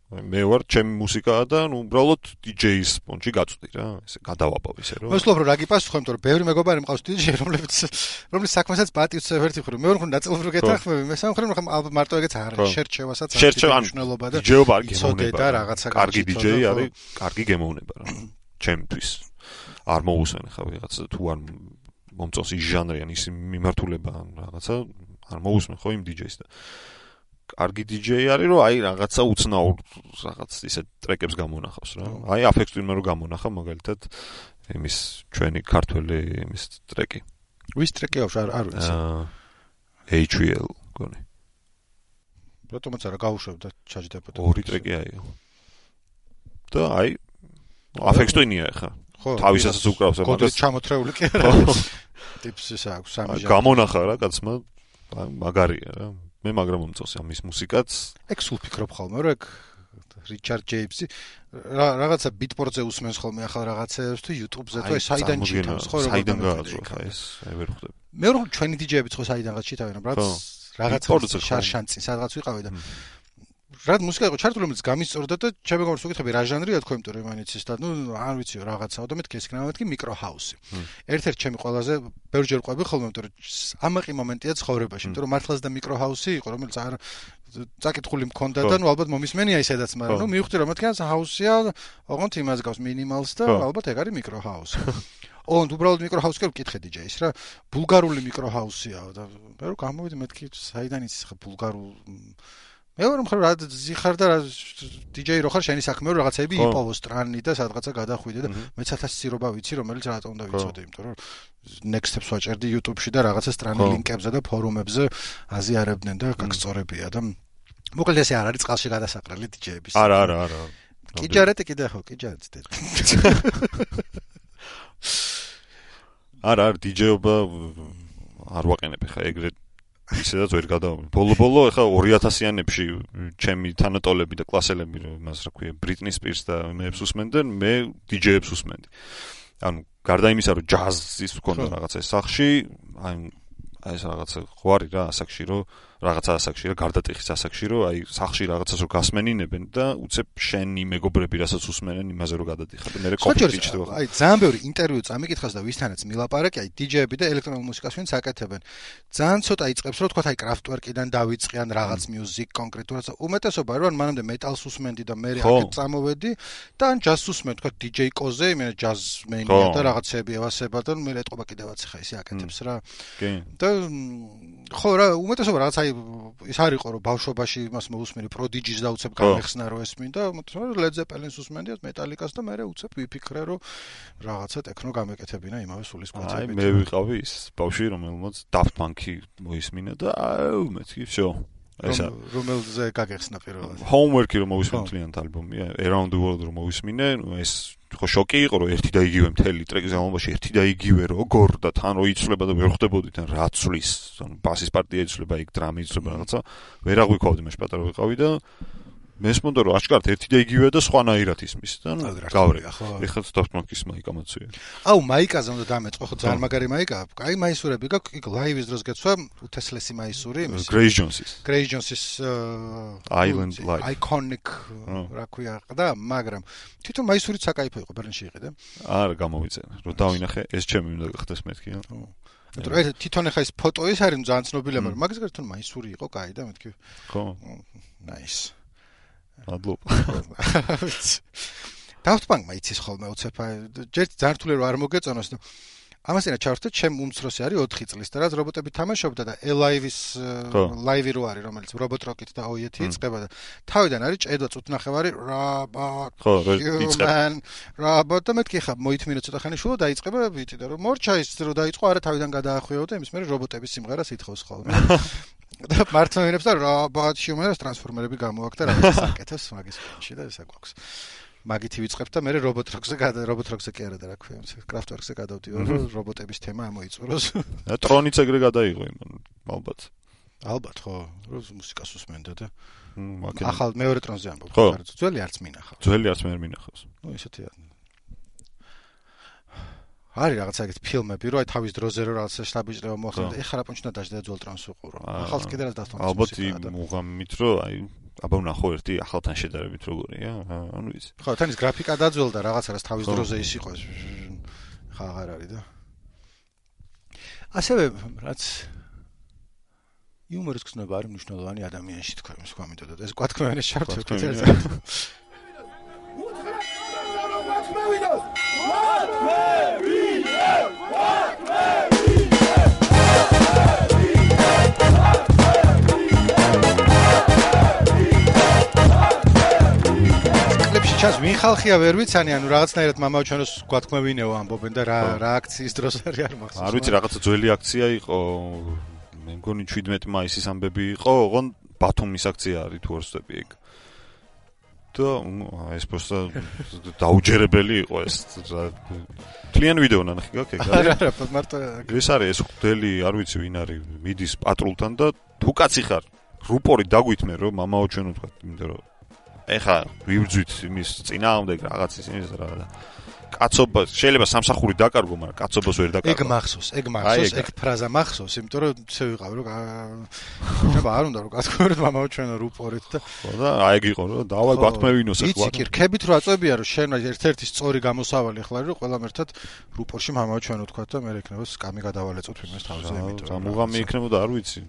მე ვარ ჩემი მუსიკაა და ნუ უბრალოდ დიჯეის პონჩი გაწვდი რა. ესე გადავაბავ ისე რომ. მოსლობ რომ რა გიპასუხო, იმიტომ რომ ბევრი მეგობარი მყავს დიჯეი, რომლის საქმესაც პატივს ვერთი ხრი. მე ვარ ნაწილობრივ გეთანხმები, მესამე ხრი ალბათ მარტო ეგეც არ არის. შერჩევასაც არის მნიშვნელობა და დიჯეობა არ გემოვნება. და რაღაცა კარგი დიჯეი არის, კარგი გემოვნება რა. ჩემთვის არ მოусვენ ხა ვიღაცა თუ არ მომწონს ის ჟანრი ან ის მიმართულება ან რაღაცა არ მოусვენ ხო იმ დიჯეის და კარგი დიჯეი არის რომ აი რაღაცა უცნაურ რაღაც ისე ტრეკებს გამონახავს რა. აი Aphex Twin-მა რო გამონახა მაგალითად იმის ჩვენი ქართველი იმის ტრეკი. ვის ტრეკი აქვს არ ვიცი. HVL გონი. რატომაც არა გავუშვებდა ჩაჯდებოდა. ორი ტრეკი აიღო. და აი Aphex Twin-ია ხა. თავისასაც უკრავს მაგას ჩამოთრეული კი არა. ტიპს ის აქვს სამი ჟანრი. გამონახა რა კაცმა მაგარია რა. მე მაგრამ მომწონს ამის მუსიკაც. ეგ სულ ფიქრობ ხოლმე რომ ეგ რიჩარდ ჯეიმსი რაღაცა ბიტპორტზე usmens ხოლმე ახალ რაღაცებს თუ YouTube-ზე თუ საიდან ჩიტავს ხო რომ საიდან გააძრო ხა ეს აი ვერ ხვდები. მე რომ ჩვენი დიჯეებიც ხო საიდანღაც ჩიტავენ რაღაც შარშანწი სადღაც ვიყავი და რა მუსიკა იყო ჩართული რომელიც გამისწორდა და ჩემი გონს უკითხები რა ჟანრია თქო იმიტომ რომ იმანიც ის და ნუ არ ვიციო რაღაცაო და მეთქი ესკნა მეთქი მიკრო ჰაუსი. ერთ-ერთი ჩემი ყველაზე ბევრჯერ ყვები ხოლმე იმიტომ რომ ამაყი მომენტია ცხოვრებაში იმიტომ რომ მართლაც და მიკრო ჰაუსი იყო რომელიც არ წაკითხული მქონდა და ნუ ალბათ მომისმენია ისედაც მაგრამ ნუ მივხვდი რომ მეთქი ჰაუსია ოღონდ იმას გავს მინიმალს და ალბათ ეგ არის მიკრო ჰაუსი. ოღონდ უბრალოდ მიკრო ჰაუსი კი ვკითხე დიჯეის რა ბულგარული მიკრო ჰაუსიაო და მე რომ გამოვიდი მეთქი საიდან იცის ხა ბულგარულ მე ვარ მხოლოდ რა ზიხარ და დიჯეი რო ხარ შენი საქმე რო რაღაცები იპოვო სტრანი და სადღაცა გადახვიდე და მეც 1000 სირობა ვიცი რომელიც რატომ უნდა ვიცოდე იმიტომ რომ next steps ვაჭერდი YouTube-ში და რაღაცა სტრანი ლინკებზე და ფორუმებზე აზიარებდნენ და გაგწორებია და მოკლედ ესე არ არის წყალში გადასაყრელი დიჯეების არა კიჯარეთი კიდე ხო კიჯარეთი არა დიჯეობა არ ვაყენებ ხა ეგრეთ ისედაც ვერ გადავამი. ბოლო ეხა 2000-იანებში ჩემი თანატოლები და კლასელები იმას რა ქვია ბრიტნი სპირს და მეებს უსმენდნენ, მე დიჯეებს უსმენდი. ანუ გარდა იმისა რომ ჯაზის ვქონდა რაღაცა სახში, აი ეს რაღაცა ხვარი რა ასაკში რომ რაღაცა ასაკში რა გარდატეხის ასაკში რომ აი სახში რაღაცას რომ გასმენინებენ და უცებ შენი მეგობრები რასაც უსმენენ იმაზე რომ გადადიხარ და მე კონფლიქტი ჩდება. აი ძალიან ბევრი ინტერვიუ წამიკითხავს და ვისთანაც მილაპარაკი აი დიჯეები და ელექტრონულ მუსიკას ვინც აკეთებენ. ძალიან ცოტა იწყებს რომ თქვა აი კრაფტვერკიდან დავიწყიან რაღაც მიუზიკ კონკრეტულად უმეტესობა რომ მანამდე მეტალს უსმენდი და მე აქეთ წამოვედი და ან ჯაზს უსმენ თქვა დიჯეი კოზე მე ჯაზმენია და რაღაცები ევასება და მე ეტყობა კიდევაც ხა ისე აკეთებს რა. კი. და ხო რა უმეტესობა რაღაც აი ის არისო რომ ბავშვობაში იმას მოусმენი პროდიჯის და უცებ გამეხსნა რომ ესმინდა ლედ ზეპელინს უსმენდი მეტალიკას და მე უცებ ვიფიქრე რომ რაღაცა ტექნო გამეკეთებინა იმავე სულის კონცერტებით. აი მე ვიყავი ის ბავშვი რომელმაც Daft Punk-ი მოისმინა და მეთქი всё ესა რომელზე გაგეხსნა პირველად Homework-ი რომ მოვისმინე თლიანად ალბომია Around the World რომ მოვისმინე ეს ხო შოკი იყო რომ ერთი და იგივე მთელი ტრეკის გამომაში ერთი და იგივე როგორ და თან რო იცვლება და ვერ ხვდებოდი თან რა ცვლის ანუ ბასის პარტია იცვლება იქ დრამი იცვლება რაღაცა ვერ აღვიქოვდი მე პატარა ვიყავი და მესმოდა რომ აშკარად ერთი და იგივეა და სხვანაირად ისმის და გავრე. ეხლა Daft Punk-ის მაიკა მოცვია. აუ მაიკაზე უნდა დამეწყო ხო ძალიან მაგარი მაიკაა. კაი მაისურები გაქვს, იქ ლაივის დროს გეცვა უთესლესი მაისური იმის. Grace Jones-ის Island Life. Iconic რა ქვია და მაგრამ თვითონ მაისურიც საკაიფო იყო ბერლინში იყიდა. არა გამოვიწერე. რომ დავინახე ეს ჩემი უნდა გახდეს მეთქი. ანუ თვითონ ახლა ეს ფოტო ის არის ძალიან ცნობილია, მაგრამ მაგის გარდა თვითონ მაისური იყო კაი და მეთქი. ხო. Nice. მადლობა. Daft Punk-მა იცის ხოლმე უცებ ჯერ ძართული რომ არ მოგეწონოს და ამასინა ჩავერთეთ ჩემ უმცროსი არის 4 წლის და რაც რობოტები თამაშობდა და Alive-ის ლაივი რო არის რომელიც Robot Rocket და OET იწყება და თავიდან არის ჭედვა წუთნახევარი ხო იწყება რაბოტ და მეთქი ხა მოითმინე ცოტა ხანი შუა დაიწყება ვიტი და რომ მორჩა ის რო დაიწყო არა თავიდან გადაახვიო და იმის მერე რობოტების სიმღერას ითხოვს ხოლმე და მართლმადიდებს და რაბატ ჰიუმანს ტრანსფორმერები გამოაქვს და რაღაც საკეთებს მაგის ფონში და ესა გვაქვს მაგითი ვიწყებთ და მე Robot Rock-ზე კი არა და რა ქვია Kraftwerk-ზე გადავდივარ რომ რობოტების თემა ამოიწუროს და ტრონიც ეგრე გადაიღო ალბათ ხო რომ მუსიკას უსმენდა და ახალ მეორე ტრონზე ამბობ ძველი არც მინახავს მე არ მინახავს ნუ ისეთი არის რაღაცა ეგეთ ფილმები რომ აი თავის დროზე რომ რაღაცა შტაბიჭრება მოახდინა ეხლა რა პონჩნა დაждდა ძველ ტრანს უყურო ახალს კიდე რაც დასტოს ალბათ მუღამით რომ აი აბა ვნახო ერთი ახალთან შედარებით როგორია ანუ ის ხო თან ის გრაფიკა დაძველდა რაღაცა რაც თავის დროზე ის იყო ხა აღარ არის და ასევე რაც იუმორის გზნობა არის მნიშვნელოვანი ადამიანში თქვა იმის გამიდოდა ეს გვათქმევენ შარტო ჩას ვინ ხალხია ვერ ვიცანი ანუ რაღაცნაირად მამაო ჩვენოს გვათქმევინეო ამბობენ და რა აქციის დროს არის არ მახსოვს არ ვიცი რაღაცა ძველი აქცია იყო მე მგონი 17 მაისის ამბები იყო ოღონ ბათუმის აქცია არის თუ არ ვსწრები ეგ და ეს просто დაუჯერებელი იყო ეს კლიენ ვიდეო ნახე გაკ ეგ არა მარტო ეს არის ეს ხდელი არ ვიცი ვინ არის მიდის პატრულთან და თუ კაცი ხარ რუპორი დაგვითმე რომ მამაო ჩვენ ვთქვა იმიტომ რომ ეხა ვიბრძვით იმის წინააღმდეგ რაღაცის იმის რა და კაცობა შეიძლება სამსახური დაკარგო მაგრამ კაცობას ვერ დაკარგო ეგ მახსოვს ეგ ფრაზა მახსოვს იმიტომ რომ ისე ვიყავ რომ შეიძლება არ უნდა რომ გასწოროთ მამაო ჩვენო რუპორით და ხო და აი ეგ იყო რომ დავა გვათქმევინოს ეხლა იცი კი რქებით რო აწვევია რომ შენ ერთ-ერთი სწორი გამოსავალი ხარ რომ ყველამ ერთად რუპორში მამაო ჩვენო თქვა და მე იქნება სკამი გადავალეწოთ ვინმეს თავზე იმიტომ რომ მუღამი იქნებოდა არ ვიცი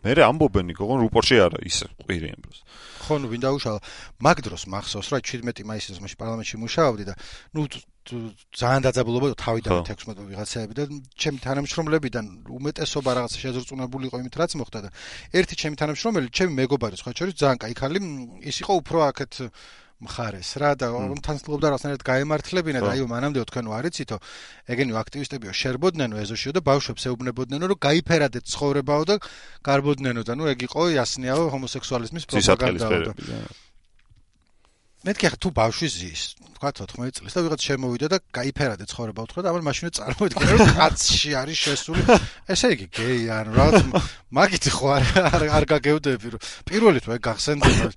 მე ამბობენ იქონ რუპორში არა ის ყვირიან დროს ხო ნუ ვინ დაუშალა მაგ დროს მახსოვს რა 17 მაისის მაშინ პარლამენტში მუშაობდი და ნუ ძალიან დაძაბულობა თავიდან 16 ვიღაცაები და ჩემი თანამშრომლებიდან უმეტესობა რაღაცა შეზრწუნებული იყო იმით რაც მოხდა და ერთი ჩემი თანამშრომელი ჩემი მეგობარი სხვა შორის ძალიან კაი ხალი ის იყო უფრო აქეთ მხარეს რა და თან ცდილობდა რაღაცნაირად გაემართლებინა და აი მანამდე თქვენო არიცითო ეგენი აქტივისტებიო შერბოდნენო ეზოშიო და ბავშვებს ეუბნებოდნენო რომ გაიფერადეთ ცხოვრებაო და გარბოდნენო და ნუ ეგ იყო იასნიაო ჰომოსექსუალიზმის პროპაგანდა მეთქი თუ ბავშვი ზის თქვა 14 წლის და ვიღაც შემოვიდა და გაიფერადეთ ცხოვრებაო თქვა და ამან მაშინაც წარმოიდგინა რომ კაცში არის შესული ესე იგი გეი ანუ რაღაც მაგით ხო არ გაგევდები რომ პირველი თუ ეგ გახსენდება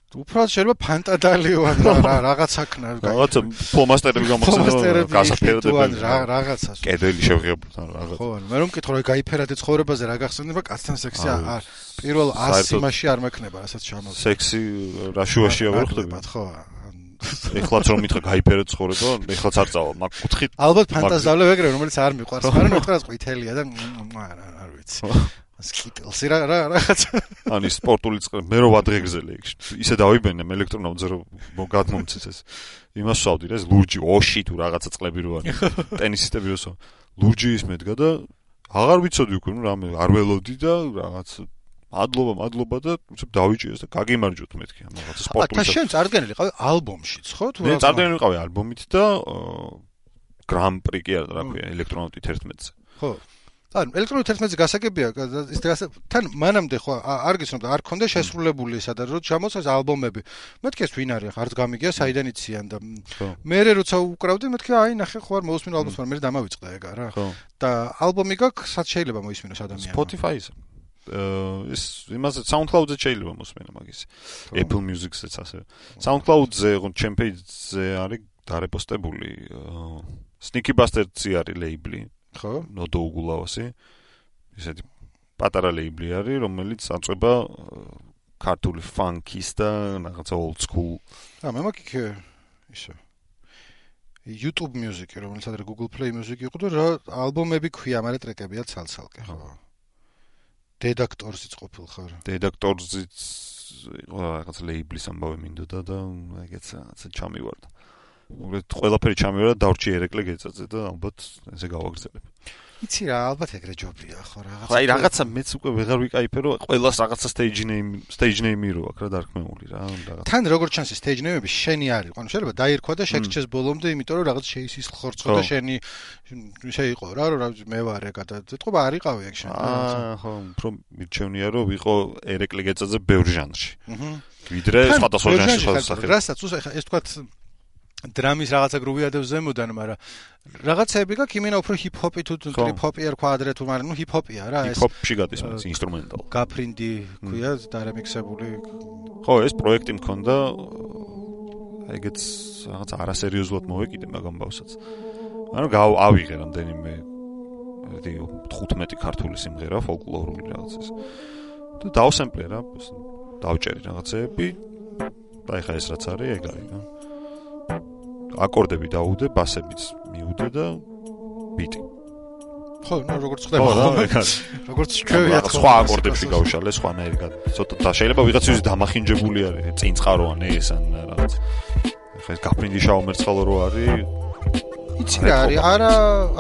უბრალოდ შეიძლება ფანტადალიო ან რაღაცაკნა რაღაცა ფლომასტერები გამახსენდა გასაფერდებელი რაღაცა კედელი შევღებულთან რაღაცა ხო ანუ მე რომ მკითხო რა გაიფერადეთ ცხოვრებაზე რა გახსენდება კაცთან სექსი პირველ 100 იმაში არ მექნება რასაც ჩამოვიდა სექსი რაშუაშია ვერ ხდება ხო ეხლაც რომ მითხრა გაიფერეთ ცხოვრება ეხლაც არ წავალ მაგ კუთხით ალბათ ფანტაზიალებ ეგრევე რომელიც არ მიყვარს მაგრამ მეთქრა ყვითელია და არ ვიცი სკიტელს რაღაც ანუ სპორტული წყე მე რო ვადღეგზელე ისე დავიბენე ელექტრონავტზე რომ გადმომცეს ეს იმას ვსავდი რა ეს ლურჯი ოში თუ რაღაცა წყლები რო არის ტენისისტები როსო ლურჯი ის მედგა და აღარ ვიცოდი უკვე ნუ რამე არ ველოდი და რაღაც მადლობა და უცებ დავიჭირეს და გაგიმარჯვოთ მეთქი ამ რაღაცა სპორტული და შენ წარდგენილი ყავი ალბომშიც ხო თუ მე წარდგენილი ვიყავი ალბომით და გრან პრი კი არა რა ქვია ელექტრონავტი 11-ზე ხო ანუ ელექტრონული 11-ზე გასაგებია ის თან მანამდე ხო არ გიცნობ და არ ქონდა შესრულებული ესა და რო ჩამოწეს ალბომები მეთქი ეს ვინ არის ხარც გამიგია საიდან იციან და მე როცა უკრავდი მეთქი აი ნახე ხო არ მოусმინო ალბომს მაგრამ მე დამავიწყდა ეგ არა და ალბომი გაქვს სად შეიძლება მოისმინოს ადამიანს Spotify-ზე ის იმაზე SoundCloud-ზე შეიძლება მოსმენა მაგის. Apple Music-ზეც ასე. SoundCloud-ზე, ჩემ page-ზე არის დარეპოსტებული Sneaky Bastard-ი არის ლეიბლი. ხო? ნოდო უგულავასი. ისეთი პატარა ლეიბლი არის, რომელიც აწვება ქართული funk-ის და რაღაცა old school. მე მაქვს ისე YouTube Music, რომელიც ადრე Google Play Music იყო და რა ალბომები ქვია, მაგრამ ტრეკებია ცალ-ცალკე, ხო. Redactors-იც ყოფილ ხარ. Redactors-იც რაღაცა ლეიბლის ამბავი მინდოდა და ეგეც რაღაცა ჩამივარდა. უბრალოდ ყველაფერი ჩამივარდა, დავრჩი ერეკლე გეწაწე და ალბათ ესე გავაგრძელებ. იცი რა, ალბათ ეგრე ჯობია ხო რაღაცა. აი რაღაცა მეც უკვე ვეღარ ვიკაიფე, რომ ყველას რაღაცა stage name-ი რო აქვს რა დარქმეული რა, რაღაცა. თან როგორც ჩანს stage name-ები შენი არის, ანუ შეიძლება დაირქვა და შეგრჩეს ბოლომდე, იმიტომ რომ რაღაც შეისის ხორცო და შენი შეიყო რა, რომ მე ვარ ეგ და ეთყობა არ იყავი ეგ შენ. ხო, უფრო მირჩევნია რომ ვიყო ერეკლე გეწაზე ბევრ ჟანრში. ვიდრე სხვადასხვა ჟანრში შესახებ. რასაც უსახა ეს თქვა დრამის რაღაცა გრუვი ადევ ზემოდან, მაგრამ რაღაცები გაქვს იმენა უფრო ჰიპ-ჰოპი თუ ტრიპ-ჰოპი არ კვადრე თუ მაგრამ ნუ ჰიპ-ჰოპია რა ეს. ჰიპ-ჰოპში გადის მას ინსტრუმენტალ. გაფრინდი ქვია დარემიქსებული. ხო, ეს პროექტი მქონდა ეგეც რაღაც არასერიოზულად მოვეკიდე მაგ ამბავსაც. ანუ ავიღე რამდენიმე 15 ქართული სიმღერა ფოლკლორული რაღაცის. და დავსემპლე რა, დავჭერი რაღაცეები. და ეხა ეს რაც არის, ეგ არის რა. აკორდები დაუდე, ბასებიც მიუდე და ბიტი. ხო, როგორც ხდება რა, როგორც ჩვევია სხვა აკორდებში გავშალე, სხვანაირი ცოტა და შეიძლება ვიღაცის დამახინჯებული არის, წინწყაროა ეს ან რაღაც. ეხლა ეს გაფრინდი შაუმერცხალო რო არის. იცი რა არის? არა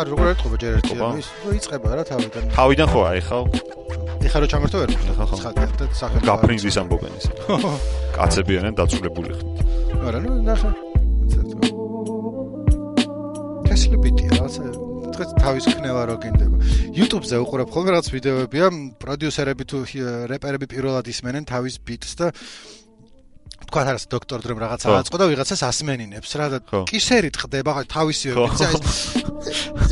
როგორ ეთყობა ჯერ ერთი ის იწყება რა თავიდან. თავიდან ხო აი ხა. ეხლა რო ჩამერთო ვერ ხალხი და სახე გაფრინდის ამბობენ ისე. კაცები არიან დაწულებული ხნით. არა, ნუ ნახე. ბიტია რაღაცა დღეს თავის ქნევა რო გინდება. YouTube-ზე უყურებ ხოლმე რაღაც ვიდეოებია, პროდიუსერები თუ რეპერები პირველად ისმენენ თავის ბიტს და თქვა რა დოქტორ დრემ რაღაცა აწყო და ვიღაცას ასმენინებს რა და კისერი ტყდება ხო თავისივე ბიტზე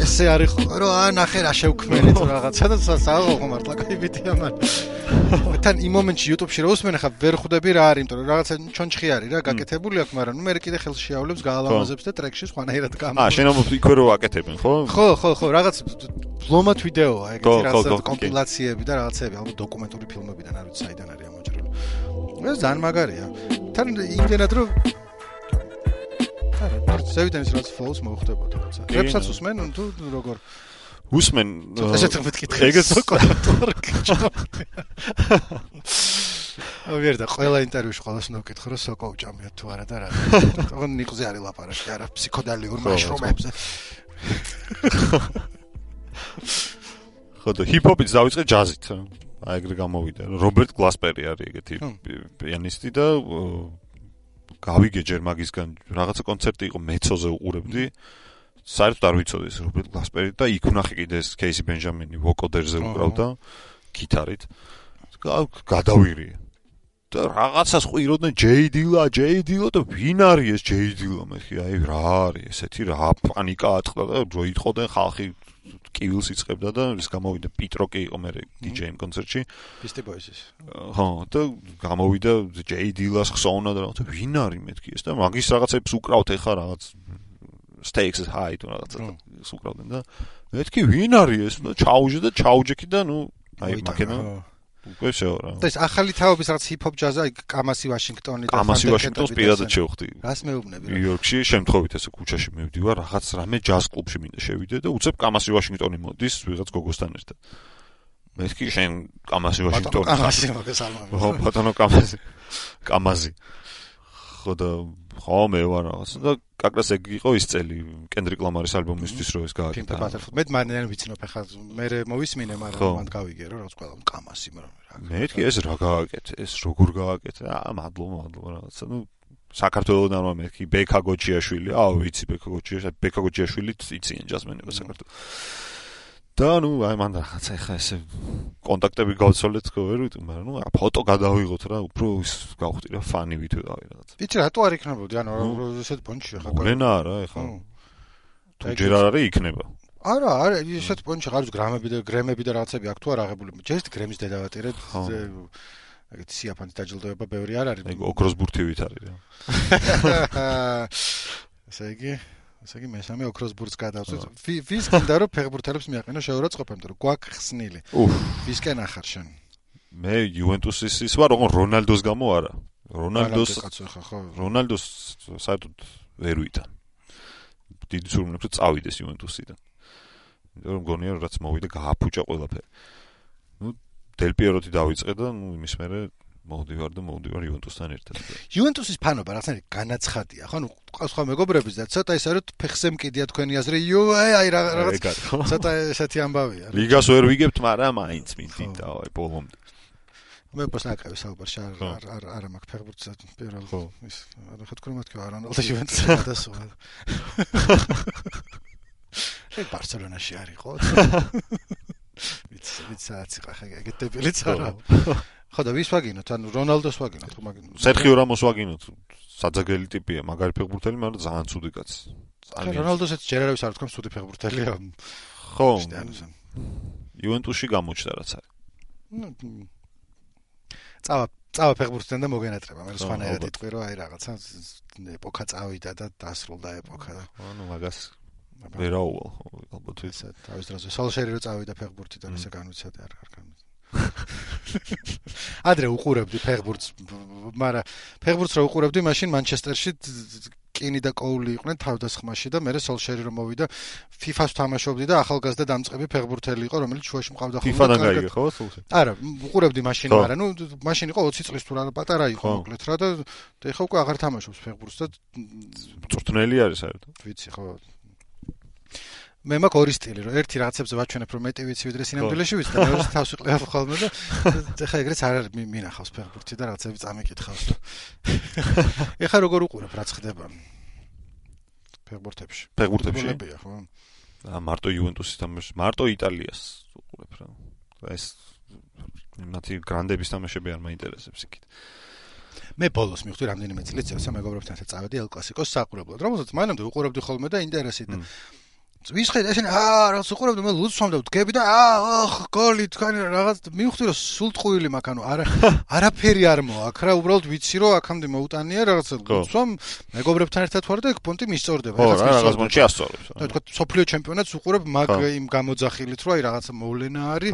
ესე არის ხო რა ნახე რა შევქმნელი თუ რაღაცა და სააღო ხო მართლა კაი ბიტია მაგრამ თან იმ მომენტში YouTube-ში რო usmene ხა ვერ ხვდები რა არის იმიტომ რომ რაღაცა ჩონჩხი არის რა გაკეთებული აქვს მაგრამ ნუ მე კიდე ხელში შეავლებს გაალამაზებს და ტრეკში სხვანაირად გამა შენ იქვე რო აკეთებენ ხო ხო რაღაც ბლომად ვიდეოა ეგეთი რაღაცა კომპილაციები და რაღაცები ალბათ დოკუმენტური ფილმებიდან არ ვიცი საიდან არის ამოჭრილი ეს ძალიან მაგარია თან იმდენად რომ არა ზევიდან ის რაც flows მოხდებოდა რაღაცა რეპსაც usmen თუ როგორ usmen ესეც მეთქი ეგეც ვერ და ყველა ინტერვიუში ყველას ნოვკითხო რომ სოკო უჭამია თუ არა და რა თქო ნიკოზე არის ლაპარაკი არა ფსიქოდალიურ მაშრომებზე ხო და ჰიპ-ჰოპიც დავიწყე ჯაზით აი ეგრე გამოვიდა რობერტ გლასპერი არის ეგეთი პიანისტი და გავიგე ჯერ მაგისგან რაღაცა კონცერტი იყო მეცოზე უყურებდი საერთოდ არ ვიცოდი ეს რობერტ გლასპერი და იქ ვნახე კიდე ეს კეისი ბენჯამინი ვოკოდერზე უკრავდა გიტარით გადავირიე და რაღაცას ყვიროდნენ ჯეი დილა და ვინ არის ეს ჯეი დილა მეხი აი რა არის ესეთი რა პანიკა ატყდა და რო იტყოდნენ ხალხი კივილს იწყებდა და ის გამოვიდა პიტროკი იყო მე DJ-იმ კონცერტში Beastie Boys-ის ხო და გამოვიდა ჯეი დილას ხსოვნა და რაღაცა ვინ არის მეთქი ეს და მაგის რაღაცებს უკრავთ ეხა რაღაც stakes is high თუ რაღაცა უკრავდნენ და მეთქი ვინ არის ეს და ჩაუჯექი და ნუ აი მაკენა უკვე შეორა და ეს ახალი თაობის რაღაც hip-hop jazz აი კამასი ვაშინგტონი და კამასი ვაშინგტონს პირადად შევხვდი რას მეუბნები ნიუ-იორკში შემთხვევით ესე ქუჩაში მივდივარ რაღაც რამე jazz კლუბში მინდა შევიდე და უცებ კამასი ვაშინგტონი მოდის ვიღაც გოგოსთან ერთად მეთქი შენ კამასი ვაშინგტონი ხო ბატონო კამაზი ხო და ხო მე ვარ რაღაც და კაკრას ეგ იყო ის წელი კენდრიკ ლამარის ალბომისთვის რო ეს გააკეთა მე მანდ ვიცნობ ახლა მე მოვისმინე მაგრამ მანდ გავიგე რომ რაღაც ყველა კამასი მაგრამ მეთქი ეს რა გააკეთე ეს როგორ გააკეთე მადლობა რაღაცა ნუ საქართველოსთან რომ მეთქი ბექა გოჩიაშვილი ვიცი ბექა გოჩიაშვილი იციან ჯაზმენება საქართველოს და ნუ აი მან რაღაცა ეხა ესე კონტაქტები გავცოლეთ ხო ვერ ვიტყვი მაგრამ ნუ ფოტო გადავიღოთ რა უფრო ის გავხდი რა ფანი ვითო დავი რაღაც ვიცი რატო არ იქნებოდი ანუ ესეთ პონჩი ხა გლენა რა ეხა თუ ჯერ არ არის იქნება არა, ისეთ პონჩი არის გრემები და რაღაცები აქ თუ არ აღებული. ჯერ გრემის დედავატირე ეგეთ სიაფანის დაჯილდოება ბევრი არ არის. ეგ ოქროს ბურთივით არის რა. ესე იგი მესამე ოქროს ბურთს გადავწევ. ვის გინდა რომ ფეხბურთელებს მიაყენო შეურაცხყოფა, იმიტომ რომ გვაქვს ხსნილი. ვისკენ ახარ შენ? მე იუვენტუსის ის ვარ, ოღონდ რონალდოს გამო არა. რონალდოს საერთოდ ვერ ვიტან. დიდი სურვილებს რომ წავიდეს იუვენტუსიდან. იმიტომ რომ გონია რომ რაც მოვიდა გააფუჭა ყველაფერი. დელ პიეროთი დავიწყე და იმის მერე მოვდივარ იუვენტუსთან ერთად. იუვენტუსის ფანობა რაღაცნაირი განაცხადია, ხო? ყავს სხვა მეგობრების და ცოტა ისე რომ ფეხზე მკიდია თქვენი აზრი, აი რაღაც ცოტა ესეთი ამბავია. ლიგას ვერ ვიგებთ, მაგრამ მაინც მინდით აი ბოლომდე. მე პოსნაკავი საუბარში არ მაქვს ფეხბურთზე პირველ ის რა თქმა უნდა არანოლდა იუვენტუსი გადასვა. ეგ ბარსელონაში არისო. ვიცი ხა ეგეთ დებილიც არა. ხო და ვის ვაგინოთ? ანუ რონალდოს ვაგინოთ, ხო მაგინოთ. სერხიო რამოს ვაგინოთ. საძაგელი ტიპია, მაგარი ფეხბურთელი, მაგრამ ძალიან ცუდი კაცი. რონალდოსაც ჯერ არავის არ თქვა ცუდი ფეხბურთელია. ხო. იუვენტუსში გამოჩნდა რაც არის. წავა ფეხბურთთან და მოგენატრება, მე სხვანაირად იტყვი რომ აი რაღაცა ეპოქა წავიდა და დასრულდა ეპოქა. ანუ მაგას ვერაუვალ ალბათ ისე თავის დროზე სოლშერი რო წავიდა ფეხბურთიდან ესე განვიცადე არ განვიცადე. ადრე უყურებდი ფეხბურთს, მაგრამ ფეხბურთს რო უყურებდი, მაშინ მანჩესტერში კინი და კოული იყვნენ თავდასხმაში და მე სოლშერი რომ მოვიდა FIFA-ს თამაშობდი და ახალგაზრდა დამწყები ფეხბურთელი იყო, რომელიც შუაში მყავდა ხოლმე. FIFA-დან გაიგე ხო სულში? არა, უყურებდი მაშინ, მაგრამ მაშინ იყო 20 წლის თუ რა პატარა იყო მოკლედ რა და ეხა უკვე აღარ თამაშობს ფეხბურთს და წვრთნელი არის საერთოდ. ვიცი ხო. მე მაქვს ორი სტილი, რომ ერთი რაღაცებზე ვაჩვენებ, რომ მეტი ვიცი ვიდრე სინამდვილეში ვიცი და მეორე თავს ვიყლებ ხოლმე და ეხა ეგრეც არ არის მინახავს ფეხბურთი და რაღაცები წამიკითხავს. ეხა როგორ უყურებ რაც ხდება ფეხბურთებში? ფეხბურთებია ხო? მარტო იუვენტუსის თამაშს, მარტო იტალიას უყურებ რა. ეს მათი გრანდების თამაშები არ მაინტერესებს იქით. მე ბოლოს მივხვდი რამდენიმე წელიწად სამეგობრებთან ერთად წავედი ელ კლასიკოს საყურებლად, რომელსაც მანამდე უყურებდი ხოლმე და ინტერესით და ვისხედე ესენი რაღაც უყურებდი მე ლუდს ვამდა ვდგები და გოლი თქვენი რაღაც მივხვდი რომ სულ ტყუილი მაქვს ანუ არაფერი არ მოაქვს რა უბრალოდ ვიცი რომ აქამდე მოუტანია რაღაც ლუდს ვამ მეგობრებთან ერთად ვარ და ეგ პონტი მისწორდება რაღაც პონტი ასწორებს და თქვა სოფლიო ჩემპიონატს უყურებ მაგ იმ გამოძახილით რომ აი რაღაცა მოვლენა არის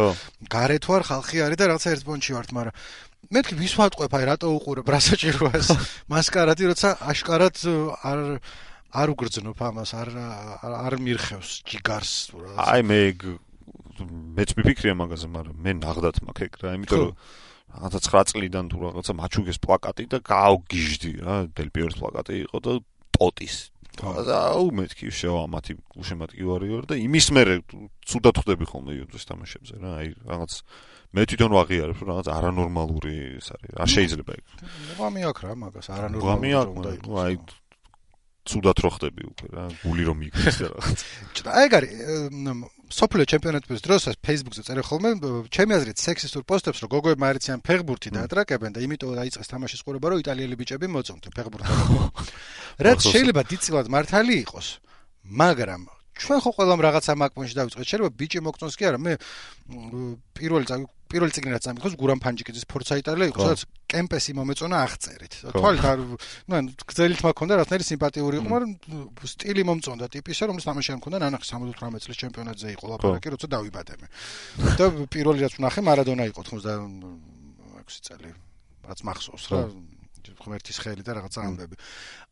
გარეთ ვარ ხალხი არის და რაღაცა ერთ პონტში ვართ მაგრამ მეთქი ვის ვატყვებ აი რატო უყურებ რა საჭიროა ეს მასკარადი როცა აშკარად არ უგრძნობ ამას არ მირხევს ჯიგარს აი მეც მიფიქრია მაგაზე მაგრამ მე ნაღდათ მაქვს ეგ რა იმიტომ რომ რაღაცა 9 წლიდან თუ რაღაცა მაჩუგეს პლაკატი და გავგიჟდი რა დელ პიეროს პლაკატი იყო და ტოტის აუ მეთქი შევამათი უშემატკივარი ვარ და იმის მერე ცუდად ხვდები ხოლმე იუვენტუსის თამაშებზე რა აი რაღაც მე თვითონ ვაღიარებ რომ რაღაც არანორმალური ის არის არ შეიძლება ეგ მოგამი აქვს რა მაგას არანორმალური აი ცუდად რო ხდები უკვე რა გული რომ მიგდეს და რაღაც აი ეგ არის სოფლიო ჩემპიონატების დროს Facebook-ზე წერე ხოლმე ჩემი აზრით სექსისტურ პოსტებს რომ გოგოებმა არიციან ფეხბურთი დაატრაკებენ და იმიტომ დაიწყეს თამაშის ყურება რომ იტალიელი ბიჭები მოწონთ ფეხბურთს რაც შეიძლება დიდწილად მართალი იყოს მაგრამ ჩვენ ხო ყველამ რაღაცა მაგპონში დავიწყეთ შეიძლება ბიჭი მოგწონს კი არა მე პირველი წიგნი რაც ამიხოს გურამ ფანჯიკიძის ფორცა იტალია იყო სადაც კემპესი მომეწონა აღწერით თვალით არ გრძელით მაქონდა რაღაცნაირი სიმპათიური იყო მაგრამ სტილი მომწონდა ტიპისა რომელიც თამაში არ მქონდა ნანახი 78 წლის ჩემპიონატზე იყო ლაპარაკი როცა დავიბადე მე და პირველი რაც ვნახე მარადონა იყო 96 წელი რაც მახსოვს რა ღმერთის ხელი და რაღაცა ამბები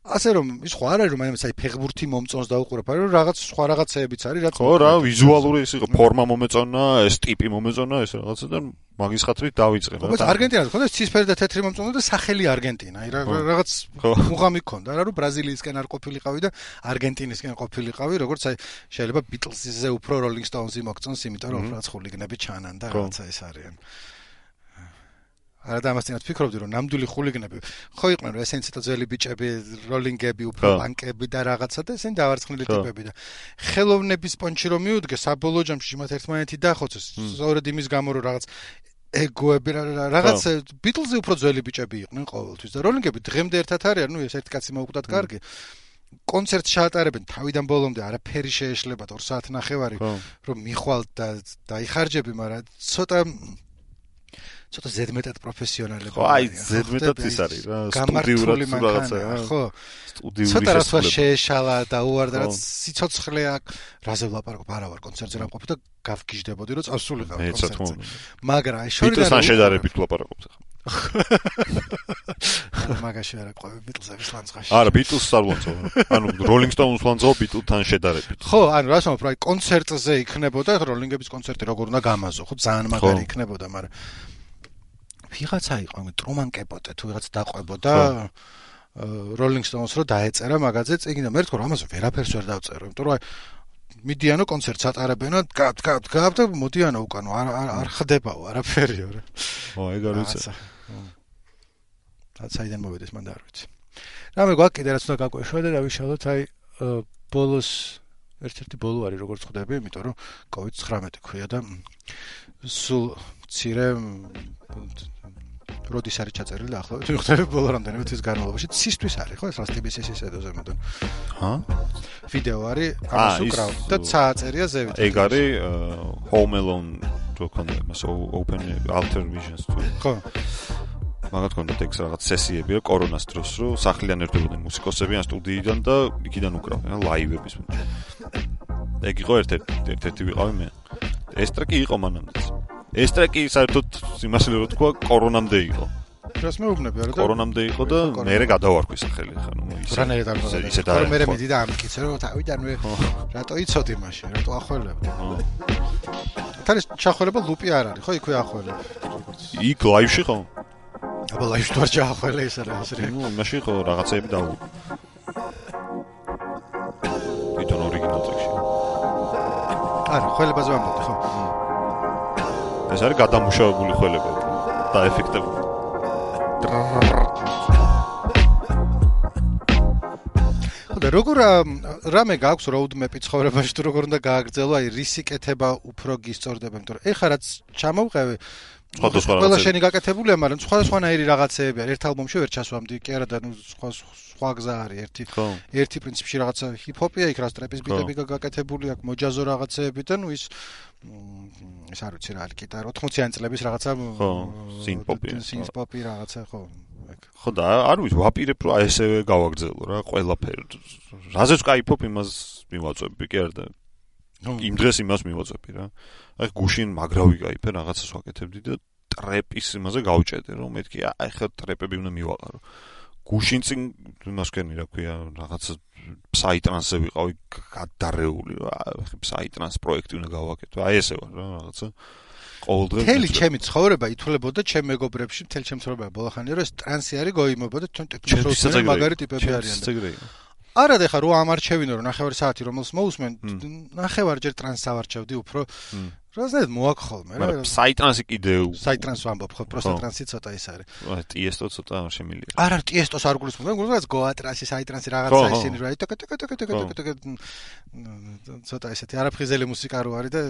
ასე რომ ის ხო არ არის რომ მაინც აი ფეხბურთი მომწონს და უყურებ არა რომ რაღაც სხვა რაღაცეებიც არის რაც ხო რა ვიზუალური ის იყო ფორმა მომეწონა ეს ტიპი მომეწონა ეს რაღაცა და მაგის ხათრით დავიწყე რა ხო არგენტინას ხონდა ცისფერი და თეთრი მომწონდა და სახელი არგენტინა აი რაღაც მუღამი ქონდა რა რომ ბრაზილიისკენ არ ყოფილიყავი და არგენტინისკენ ყოფილიყავი როგორც აი შეიძლება ბიტლზზე უფრო როლინგ სტოუნზი მოგწონს იმიტომ რომ რაც ხულიგნები ჩანან და რაღაცა ეს არიან არა და ამასთანავე ვფიქრობდი რომ ნამდვილი ხულიგნები ხო იყვნენ რომ ესენი ცოტა ძველი ბიჭები როლინგები უფრო ბანკები და რაღაცა და ესენი დავარცხნილი ტიპები და ხელოვნების პონჩი რომ მიუდგე საბოლოო ჯამში მათ ერთმანეთი დახოცეს სწორედ იმის გამო რომ რაღაც ეგოები რაღაც ბიტლზი უფრო ძველი ბიჭები იყვნენ ყოველთვის და როლინგები დღემდე ერთად არიან ნუ ეს ერთი კაცი მოუკვდათ კარგი კონცერტს ჩაატარებენ თავიდან ბოლომდე არაფერი შეეშლება 2 საათნახევარი რომ მიხვალ და დაიხარჯები, მაგრამ ცოტა ზედმეტად პროფესიონალები. ხო, აი ზედმეტად ის არის რა, სტუდიურად რაღაცა, ხო. სტუდიური ცოტა რა შეეშალა და უარდა რაც სიცოცხლე აქვს, რაზე ვლაპარაკობ, არა ვარ კონცერტზე რა მყოფი და გავგიჟდებოდი რომ წავსულიყავ კონცერტზე. მაგრამ აი შორიდან ბიტლსთან შედარებით ვლაპარაკობთ ახლა. მაგაში არა ყვები ბიტლსების ლანძღაში. არა, ბიტლს არ ვანძო. ანუ როლინგ სტოუნს ვანძო ბიტლთან შედარებით. ხო, ანუ რას ვამბობ, აი კონცერტზე იქნებოდა, როლინგების კონცერტი როგორ უნდა გამაზო, ხო, ძალიან მაგარი იქნებოდა, მაგრამ ვიღაცა იყო, ტრუმან კეპოტე თუ ვიღაც დაყვებოდა როლინგ სტოუნს რო დაეწერა მაგაზე წიგნი და მე თქო რომ ამაზე ვერაფერს ვერ დავწერო, იმიტომ რომ აი მიდიანო კონცერტს ატარებენო, გავთ და მოდიანო უკანო, არ ხდებაო არაფერიო რა. ხო, ეგ არ ვიცი. საიდან მოვედეს მან და არ ვიცი. რამე გვაქვს კიდე რაც უნდა გაგვეშვა და დავიშალოთ აი ბოლოს ერთ-ერთი ბოლო არის როგორც ხვდები, იმიტომ რომ COVID-19 ქვია და სულ მცირე როდის არის ჩაწერილი ახლავე თუ ხვდები ბოლო რამდენიმე თვის განმავლობაში ცისთვის არის ხო ეს რა TBS-ის ედოზე მოდან. ჰა? ვიდეო არის ამას უკრავ და წააწერია ზევით. ეგ არის Home Alone რო კონდა მას Open Alter Visions თუ. ხო. მაგათ კონდა ტექს რაღაც სესიები რა კორონას დროს რო სახლიდან ერთობოდნენ მუსიკოსები ან სტუდიიდან და იქიდან უკრავდნენ ლაივების. ეგ იყო ერთ-ერთი ვიყავი მე. ეს ტრეკი იყო მანამდეც. ეს ტრეკი საერთოდ იმასე რო თქვა კორონამდე იყო. რას მეუბნები არა და კორონამდე იყო და მე გადავარქვი სახელი ხა ნუ ისე და მე მედი და ამკიცე რომ თავიდანვე რატო იცოდი მაშინ რატო ახველებდი. თალის ჩახველება ლუპი არ არის ხო იქვე ახველებ. იქ ლაივში ხო? აბა ლაივში თუ არ ჩაახველე ეს რა ეს რა. ნუ მაშინ ხო რაღაცეები დავუ. თვითონ ორიგინალ ტრეკში. არა, ხველებაზე ვამბობდი ხო? ეს არის გადამუშავებული ხველება და ეფექტები. და როგორ რამე გაქვს roadmap-ი ცხოვრებაში თუ როგორ უნდა გააგრძელო, აი რისი კეთება უფრო გისწორდება, იმიტომ რომ ეხლა რაც ჩამოვყევი ყველა შენი გაკეთებულია, მაგრამ სხვადასხვანაირი რაღაცეები არის. ერთ ალბომში ვერ ჩასვამდი, კი არა და ნუ სხვა გზა არის. ერთი პრინციპში რაღაცა ჰიპ-ჰოპია, იქ რას ტრეპის ბიტები გაკეთებული აქვს, მოჯაზო რაღაცეები და ნუ ის არ ვიცი რა, გიტარა 80-იანი წლების რაღაცა სინთ-პოპი რაღაცა ხო. ხო და არ ვიცი, ვაპირებ რომ ესევე გავაგრძელო რა, ყველაფერი. რაზეც кайფობ იმას მივაწვევი, კი არა და იმ დღეს იმას მივაწვევი რა. აი გუშინ მაგრავი кайფე რაღაცას ვაკეთებდი და ტრეპის იმაზე გავჭედე რომ მეთქი აი ხა ტრეპები უნდა მივაყარო. გუშინ წინ იმას ვქენი რა ქვია რაღაცა ფსაიტრანსზე ვიყავი გადარეული რა, ფსაიტრანს პროექტი უნდა გავაკეთო. აი ესე ვარ რა რაღაცა. ყოველდღე მთელი ჩემი ცხოვრება ითვლება ჩემ მეგობრებში, მთელი ჩემი ცხოვრება ბოლოხანია რომ ეს ტრანსი არის გოიმობა და ჩვენ ტექნოლოგიურად მაგარი ტიპები არიან. არა და ხა რო ამარჩევინო რომ ნახევარი საათი რომელს მოусმენ, ნახევარჯერ ტრანსს ავარჩევდი უფრო. რაზედ მოაქხოლმე რა. საიტრანსი კიდევ. საიტრანს ვამბობ ხო, პროსტა ტრანსი ცოტა ის არის. ტიესტო ცოტა არ შემილია. არა, ტიესტოს არ გულისხმობ, გულისხმობს გოა ტრანსი, საიტრანსი რაღაცა ისინი რა. ცოტა ესეთი არაფხიზელი მუსიკა რო არის და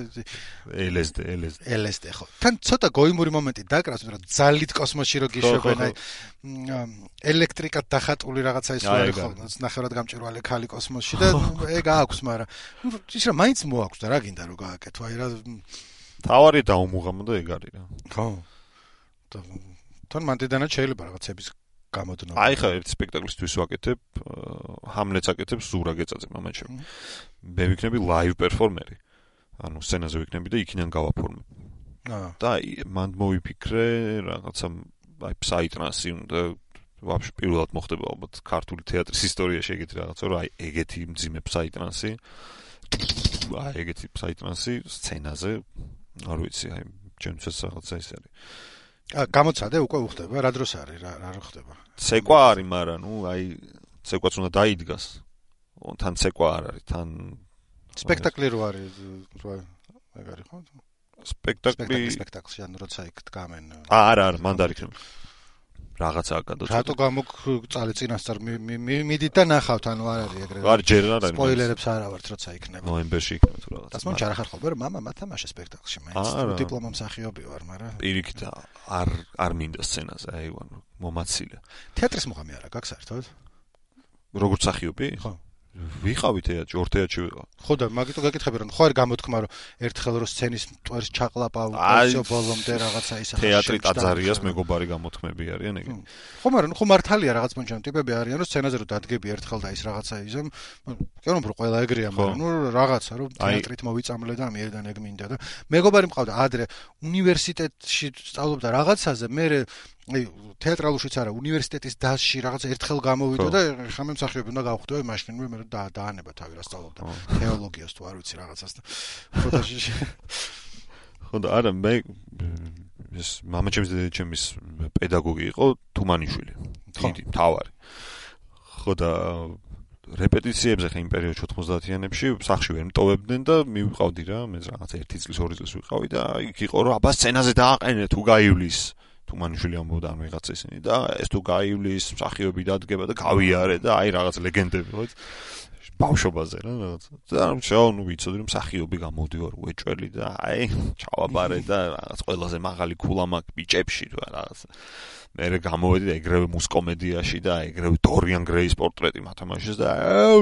LSD ხო. თან ცოტა გოიმური მომენტი დაკრავს, მაგრამ ძალით კოსმოსში რო გიშვებენ აი ელექტრიკად დახატული რაღაცა ის არის ხო. ნახევრად გამჭვირვალე ქალი კოსმოსში და ეგ აქვს, მაგრამ ის რა მაინც მოაქვს და რა გინდა რომ გააკეთო აი რა თავარი დაუმუღამო და ეგ არის რა. ხო. თან მანდიდანაც შეიძლება რაღაცების გამოდნობა. აი ხა ერთ სპექტაკლისთვის ვაკეთებ, ჰამლეტს აკეთებს ზურა გეწაძე მამაჩემ. მე ვიქნები ლაივ პერფორმერი. ანუ სცენაზე ვიქნები და იქიდან გავაფორმებ. და მან მოვიფიქრე რაღაცა აი ფსაიტრანსი უნდა ვაფშე პირველად მოხდება ალბათ ქართული თეატრის ისტორიაში ეგეთი რაღაცა რომ აი ეგეთი მძიმე ფსაიტრანსი აი ეგეთი ფსაიტრანსი სცენაზე არ ვიცი აი ჩემთვის რაღაცა ის არის. გამოცადე უკვე უხდება რა დროს არის რა ხდება? ცეკვა არის, მაგრამ ნუ აი ცეკვაც უნდა დაიდგას. თან ცეკვა არ არის, თან სპექტაკლი რო არის ეგ არის ხო? სპექტაკლში ან როცა იქ დგამენ. არა, მან დაიქნება. რაღაცა გადაწყვეტა. რატო გამოგწალე წინასწარ მიდით და ნახავთ, ანუ არ არის ეგრე. არ ჯერ არ არის. სპოილერებს არ ავართ, როცა იქნება. ნოემბერში იქნება თუ რაღაცა. დასმონ ჩარ ახარ ხოლმე, რომ მამა მათამაშე სპექტაკლში, მაინც დიპლომა მსახიობი ვარ, მაგრამ პირიქით არ მინდა სცენაზე, აი ვან მომაცილე. თეატრის მუღამი არა გაქვს საერთოდ? როგორც მსახიობი? ხო. ვიყავი თეატრში, ორ თეატრში ვიყავ. ხო და მაგიტო გეკითხები რომ ხო არ გამოთქმა რომ ერთხელ რო სცენის მტვერს ჩაყლაპა უკაცო ბოლომდე რაღაცა ისა თეატრი ტაძარიას მეგობარი გამოთქმები არიან ეგ. ხო მაგრამ ხო მართალია რაღაც პონჩამ ტიპები არიან რომ სცენაზე რო დადგები ერთხელ და ის რაღაცა იზამ კი რომ ყველა ეგრეა მაგრამ ნუ რაღაცა რომ თეატრით მოვიწამლე და ამიერიდან ეგ მინდა და მეგობარი მყავდა ადრე უნივერსიტეტში სწავლობდა რაღაცაზე მე აი თეატრალურშიც არა უნივერსიტეტის დასში რაღაც ერთხელ გამოვიდა და ხა მე მსახიობი უნდა გავხვდები მაშინ მე დაანება თავი რა სწავლობდა თეოლოგიას თუ არ ვიცი რაღაცას და ფოტოში ხო და არა მე ეს მამაჩემის დედაჩემის პედაგოგი იყო თუმანიშვილი დიდი მთავარი ხო და რეპეტიციებზე ხა იმ პერიოდში 90-იანებში სახში ვერ მტოვებდნენ და მივიყავდი რა მე რაღაც 1 წლის 2 წლის ვიყავი და იქ იყო რომ აბა სცენაზე დააყენე თუ გაივლის თუმანიშვილი ამბობდა ან ვიღაცა ისინი და ეს თუ გაივლის მსახიობი დადგება და გავიარე და აი რაღაც ლეგენდები ხო ბავშვობაზე რა რაღაც და ნუ ვიცოდი რომ მსახიობი გამოდივარ უეჭველი და აი ჩავაბარე და რაღაც ყველაზე მაღალი ქულა მაქვს ბიჭებში თუ რაღაც მე გამოვედი და ეგრევე მუსკომედიაში და ეგრევე დორიან გრეის პორტრეტი მათამაშეს და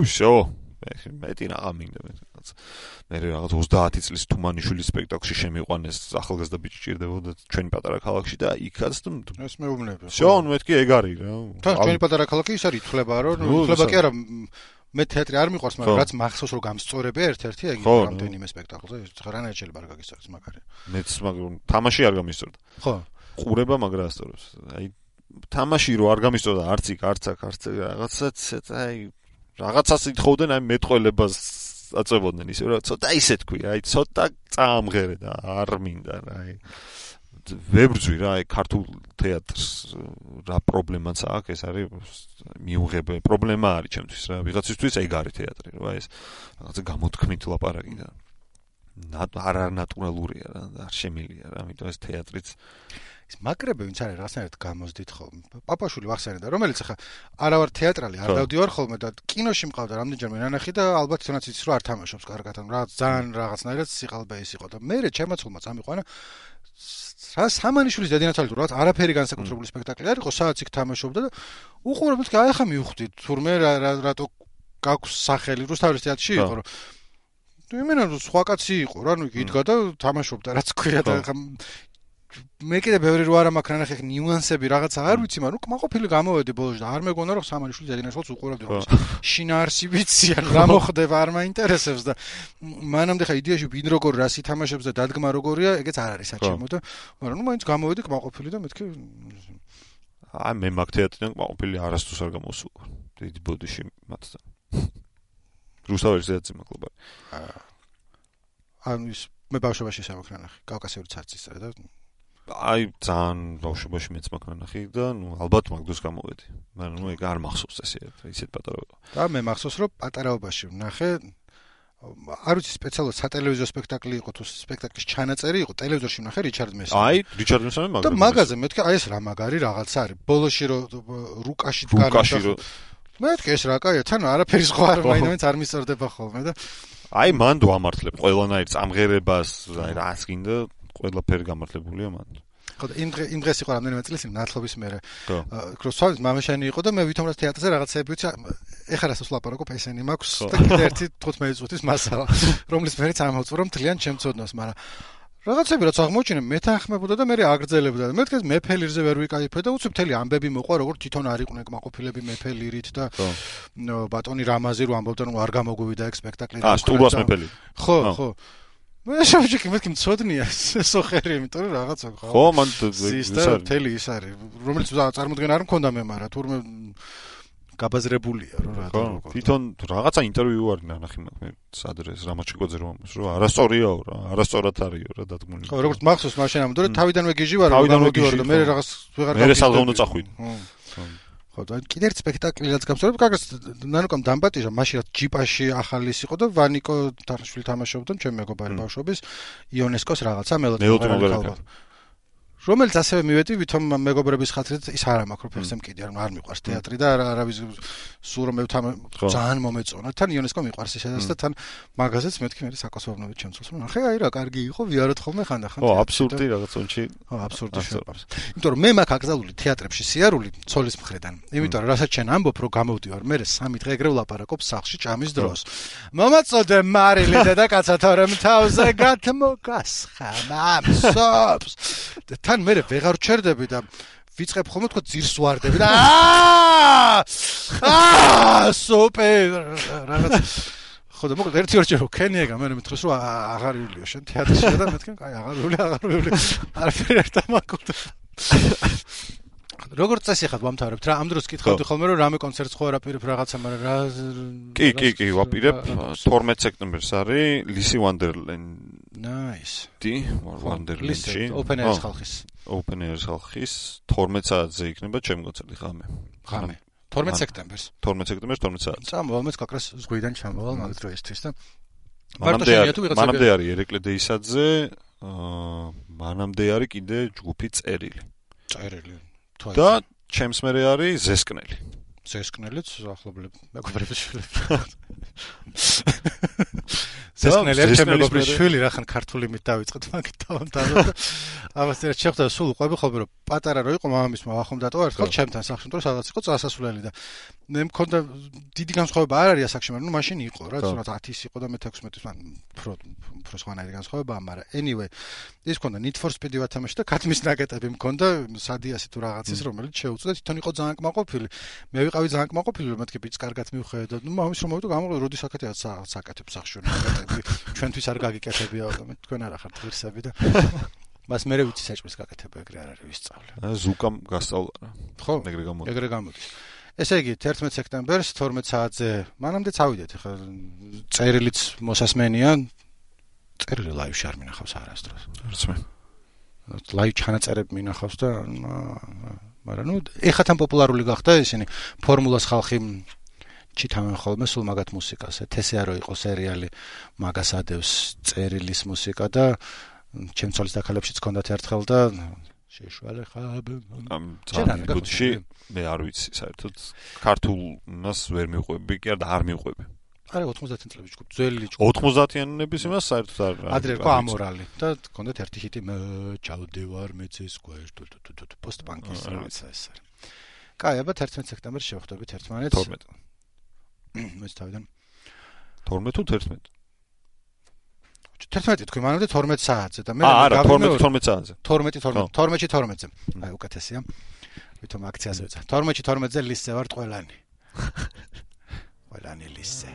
ვშო მეტი რაღა მინდა მე რაღაც 30 წლის თუმანიშვილის სპექტაკლში შემიყვანეს ახალგაზრდა ბიჭი ჭირდებოდა ჩვენი პატარა ქალაქში და იქაც ეს მეუბნები შო ნუ მეთქი ეგ არის რა თან ჩვენი პატარა ქალაქი ის არის ითვლება რომ ითვლება კი არა მე თეატრი არ მიყვარს მაგრამ რაც მახსოვს რომ გამსწორებია ერთ-ერთი ეგ რამდენიმე სპექტაკლზე ხრანაირ შეიძლება რა გაგისწორდეს მაგარი მეც მაგრამ თამაში არ გამისწორდა ხო ყურება მაგრა ასწორებს აი თამაში რო არ გამისწორდა არც იქ არც რაღაცაც აი რაღაცას ითხოვდნენ აი მეტყველებას აწევოდნენ ისე რა ცოტა ისე თქვი აი ცოტა წაამღერე და არ მინდა რა აი ვებრძვი რა აი ქართულ თეატრს რა პრობლემაც აქვს ეს არის მიუღებე პრობლემა არის ჩემთვის რა ვიღაცისთვის ეგ არის თეატრი რა ეს რაღაცა გამოთქმით ლაპარაკი და არანატურალურია რა არ შემილია რა ამიტომ ეს თეატრიც ის მაგრები ვინც არის რაღაცნაირად გამოზდით ხოლმე პაპაშვილი ვახსენე და რომელიც ახლა არა ვარ თეატრალი არ დავდივარ ხოლმე და კინოში მყავდა რამდენჯერმე ნანახი და ალბათ თუნდაც იცის რომ არ თამაშობს კარგად ან რაღაც ძალიან რაღაცნაირად სიყალბე ის იყო და მე ჩემაცულმა წამიყვანა რა სამანიშვილის დედინაცალი თუ რაღაც არაფერი განსაკუთრებული სპექტაკლი არ იყო სადაც იქ თამაშობდა და უყურებ მეთქი აი ხა მივხვდი თურმე რატო გაქვს სახელი რუსთავის თეატრში იყო რომ იმენა სხვა კაცი იყო რა ნუ იდგა და თამაშობდა რაც ქვია და მე კიდე ბევრი რო არა მაქვს ნახე ნიუანსები რაღაცა არ ვიცი მაგრამ კმაყოფილი გამოვედი ბოლოს და არ მეგონა რომ სამანიშვილის დედინაცალს უყურავდი რომ შინაარსი ვიცი ან რა მოხდება არ მაინტერესებს და მანამდე ხა იდეაში ვინ როგორ რას ითამაშებს და დადგმა როგორია ეგეც არ არის საჩემო და მაგრამ ნუ მაინც გამოვედი კმაყოფილი და მეთქი აი მე მაგ თეატრიდან კმაყოფილი არასდროს არ გამოსულა დიდი ბოდიში მათთან რუსთავის თეატრში მაკლუბი ანუ ის მე ბავშვობაში სამაქ ნახე კავკასიური ცარცის და აი ძალიან ბავშვობაში მეც მაქვს ნახე და ნუ ალბათ მაგდროს გამოვედი. მაგრამ ნუ ეგ არ მახსოვს ისეთ პატარა. და მე მახსოვს რომ პატარაობაში ვნახე არ ვიცი სპეციალურად სატელევიზიო სპექტაკლი იყო თუ სპექტაკლის ჩანაწერი იყო ტელევიზორში ვნახე რიჩარდ მესამი. აი რიჩარდ მესამი მაგარი. და მაგაზე მეთქი აი ეს რა მაგარი რაღაცა არის. ბოლოში რომ რუკაში დგარ. მეთქი ეს რა კაია თან არაფერი სხვა არ მაინც არ მისწორდება ხოლმე და აი მან დავამართლებ ყველანაირ წამღერებას აი რას გინდა ყველაფერი გამართლებულია მან. ხო და იმ დღეს იყო რამდენიმე წელი ნათლობის მერე. კროსვალის მამაშენი იყო და მე ვითომ რა თეატრზე რაღაცები ვიცი. ეხლა რასაც ვლაპარაკობ ესენი მაქვს და კიდე ერთი 15 წუთის მასალა, რომლის მერე წამოვწვრო რომ თლიან ჩემწოდნოს, მაგრამ რაღაცები რაც აღმოჩინე მეთანხმებოდა და მე აგრძელებდა. მე თქოს მეფელირზე ვერ ვიკაიფე და უცებ მთელი ამბები მოყვა როგორ თვითონ არ იყვნენ კმაყოფილები მეფელირით და ბატონი რამაზი რო ამბობდა რომ არ გამოგვივიდა ეგ სპექტაკლი. სტურვას მეფელი. ხო, ხო. მე შევჭიქი მეთქი მწოდნია სოხერი იმიტომ რომ რაღაცა ხო მან ის მთელი ის არის რომელიც წარმოდგენა არ მქონდა მე მაგრამ თურმე გაბაზრებულია რომ რატო როგორ თვითონ რაღაცა ინტერვიუ არ ნახე მე სადრეს რამაჩიკოძე რომ არასწორიაო რა არასწორად არისო რა დადგმული ხო როგორც მახსოვს მაშინ ამბობდა რომ თავიდანვე გიჟი ვარ და მე რაღაც ვეღარ მე სალღონო წახვიდე ხო და კიდე ერთ სპექტაკლიც გამსწორებ კარგად ნანუკამ დამპატიჟა მაშინ რაც ჯიპაში ახალის იყო და ვანიკო თარაშვილი თამაშობდა ჩემ მეგობარი ბავშვობის იონესკოს რაღაცა მელოდი რომელიც ასევე მივედი ვითომ მეგობრების ხათრით ის არ მაქვს რომ ფეხზე მკიდი არ მიყვარს თეატრი და არავის სულ რომ მევთან ძალიან მომეწონა თან იუნესკო მიყვარს ისედაც და თან მაგაზეც მეთქი მე საკასობრნობით ჩემწულს რომ ახე აი რა კარგი იყო ვიაროთ ხოლმე ხანდახან აბსურდი რაღაც უნჩი აბსურდი შეყვარს იმიტომ რომ მე მაქვს აკრძალული თეატრებში სიარული ცოლის მხრიდან იმიტომ რომ რასაც შენ ამბობ რომ გამოვდივარ მე 3 დღე ეგრე ვლაპარაკობ სახლში ჭამის დროს მომაწოდე მარილი დედაკაცა თორემ თავზე გათმოგასხა მამსობს და თან მე ვეღარ ჩერდები და ვიწყებ ხოლმე თქო ძირს ვარდები და სუპერ რაღაც ხო და მოკლედ ერთი ორჯერ ვქენიეგა მე მეთქოს რომ აღარ იულიო შენ თეატრში და მეთქენ კაი აღარ ვიული არაფერი არ დამაკვდა როგორც წესი ხარ ვამთავრებთ რა ამ დროს კითხავდი ხოლმე რომ რამე კონცერტს ხო არაპირებ რაღაცა მაგრამ რა კი ვაპირებ 12 სექტემბერს არის ლისი ვანდერლენდი ნაისი ვანდერლენდში ოპენ ერის ხალხის 12 საათზე იქნება ჩემი კონცერტი ღამე 12 სექტემბერს 12 საათზე წამოვალ მეც კაკრას ზღვიდან ჩამოვალ მაგ დროისთვის და მანამდე არის ერეკლე დეისაძე მანამდე არის კიდე ჯგუფი წერილი და ჩემს მერე არის ზესკნელიც ახლობლებ მეგობრების შვილები ზესკნელი ჩემ მეგობრის შვილი რახან ქართული მით დავიწყეთ მაგით დავამთავრე და ამას ერთ შეხვდა სულ ყვები ხოლმე რომ პატარა რო იყო მამამის მოვახომ დატოვა ერთხელ ჩემთან სახლში რომ სადაც იყო წასასვლელი და მე მქონდა დიდი განსხვავება არ არის ასაკში მაგრამ ნუ მაშინ იყო რა თუნდაც 10-ის იყო და მე 16-ის მან უფრო სხვანაირი განსხვავებაა მაგრამ anyway ის მქონდა Need for Speed ვათამაში და კათმის ნაკეტები მქონდა სადიასი თუ რაღაცის რომელიც შეუწდა თვითონ იყო ძალიან კმაყოფილი მე ვიყავი ძალიან კმაყოფილი რომ მეთქე ბიჭს კარგად მივხედა ნუ მამის რომ მოვიდა გამოვიდა როდის აკეთებდა საკეთებს სახში ნაკეტები ჩვენთვის არ გაგიკეთებია და თქვენ არ ახართ ღირსები და მას მე ვიცი საჭმის გაკეთება ეგრე არ არის ვისწავლე ზუკამ გასწავლა რა ხო ეგრე გამოდის ესე იგი 11 სექტემბერს 12 საათზე მანამდე წავიდეთ ახლა წერილიც მოსასმენია წერილი ლაივში არ მინახავს არასდროს არც მე ლაივ ჩანაწერები მინახავს და მაგრამ ნუ ეხლა თან პოპულარული გახდა ისინი ფორმულას ხალხი ჩითავენ ხოლმე სულ მაგათ მუსიკას ეთესეა რო იყო სერიალი მაგას ადევს წერილის მუსიკა და ჩემ ცოლის დაქალებშიც ჰქონდათ ერთხელ და შეშვალე ხაბ ამ ძალიან მე არ ვიცი საერთოდ ქართულს ვერ მივყვები კი არ მივყვები არა 90-იან წლებში ჯგუფ ძველი ჯგუფ 90-იანების იმას საერთოდ არ ადრე იყო ამორალი და ჰქონდათ ერთი ჰიტი მე ჩავდივარ მეცეს გვერდ პოსტ-პანკის რაღაცა ეს არის კაი აბა 11 სექტემბერს შევხვდებით ერთმანეთს 12 მეც თავიდან 12 თუ 11 11 თქვი მანამდე 12 საათზე და მე არა 12 საათზე 12-ზე აი უკეთესია ვითომ აქციაზე ვეცა 12-ზე ლისზე ვარ ყველანი ყველანი ლისზე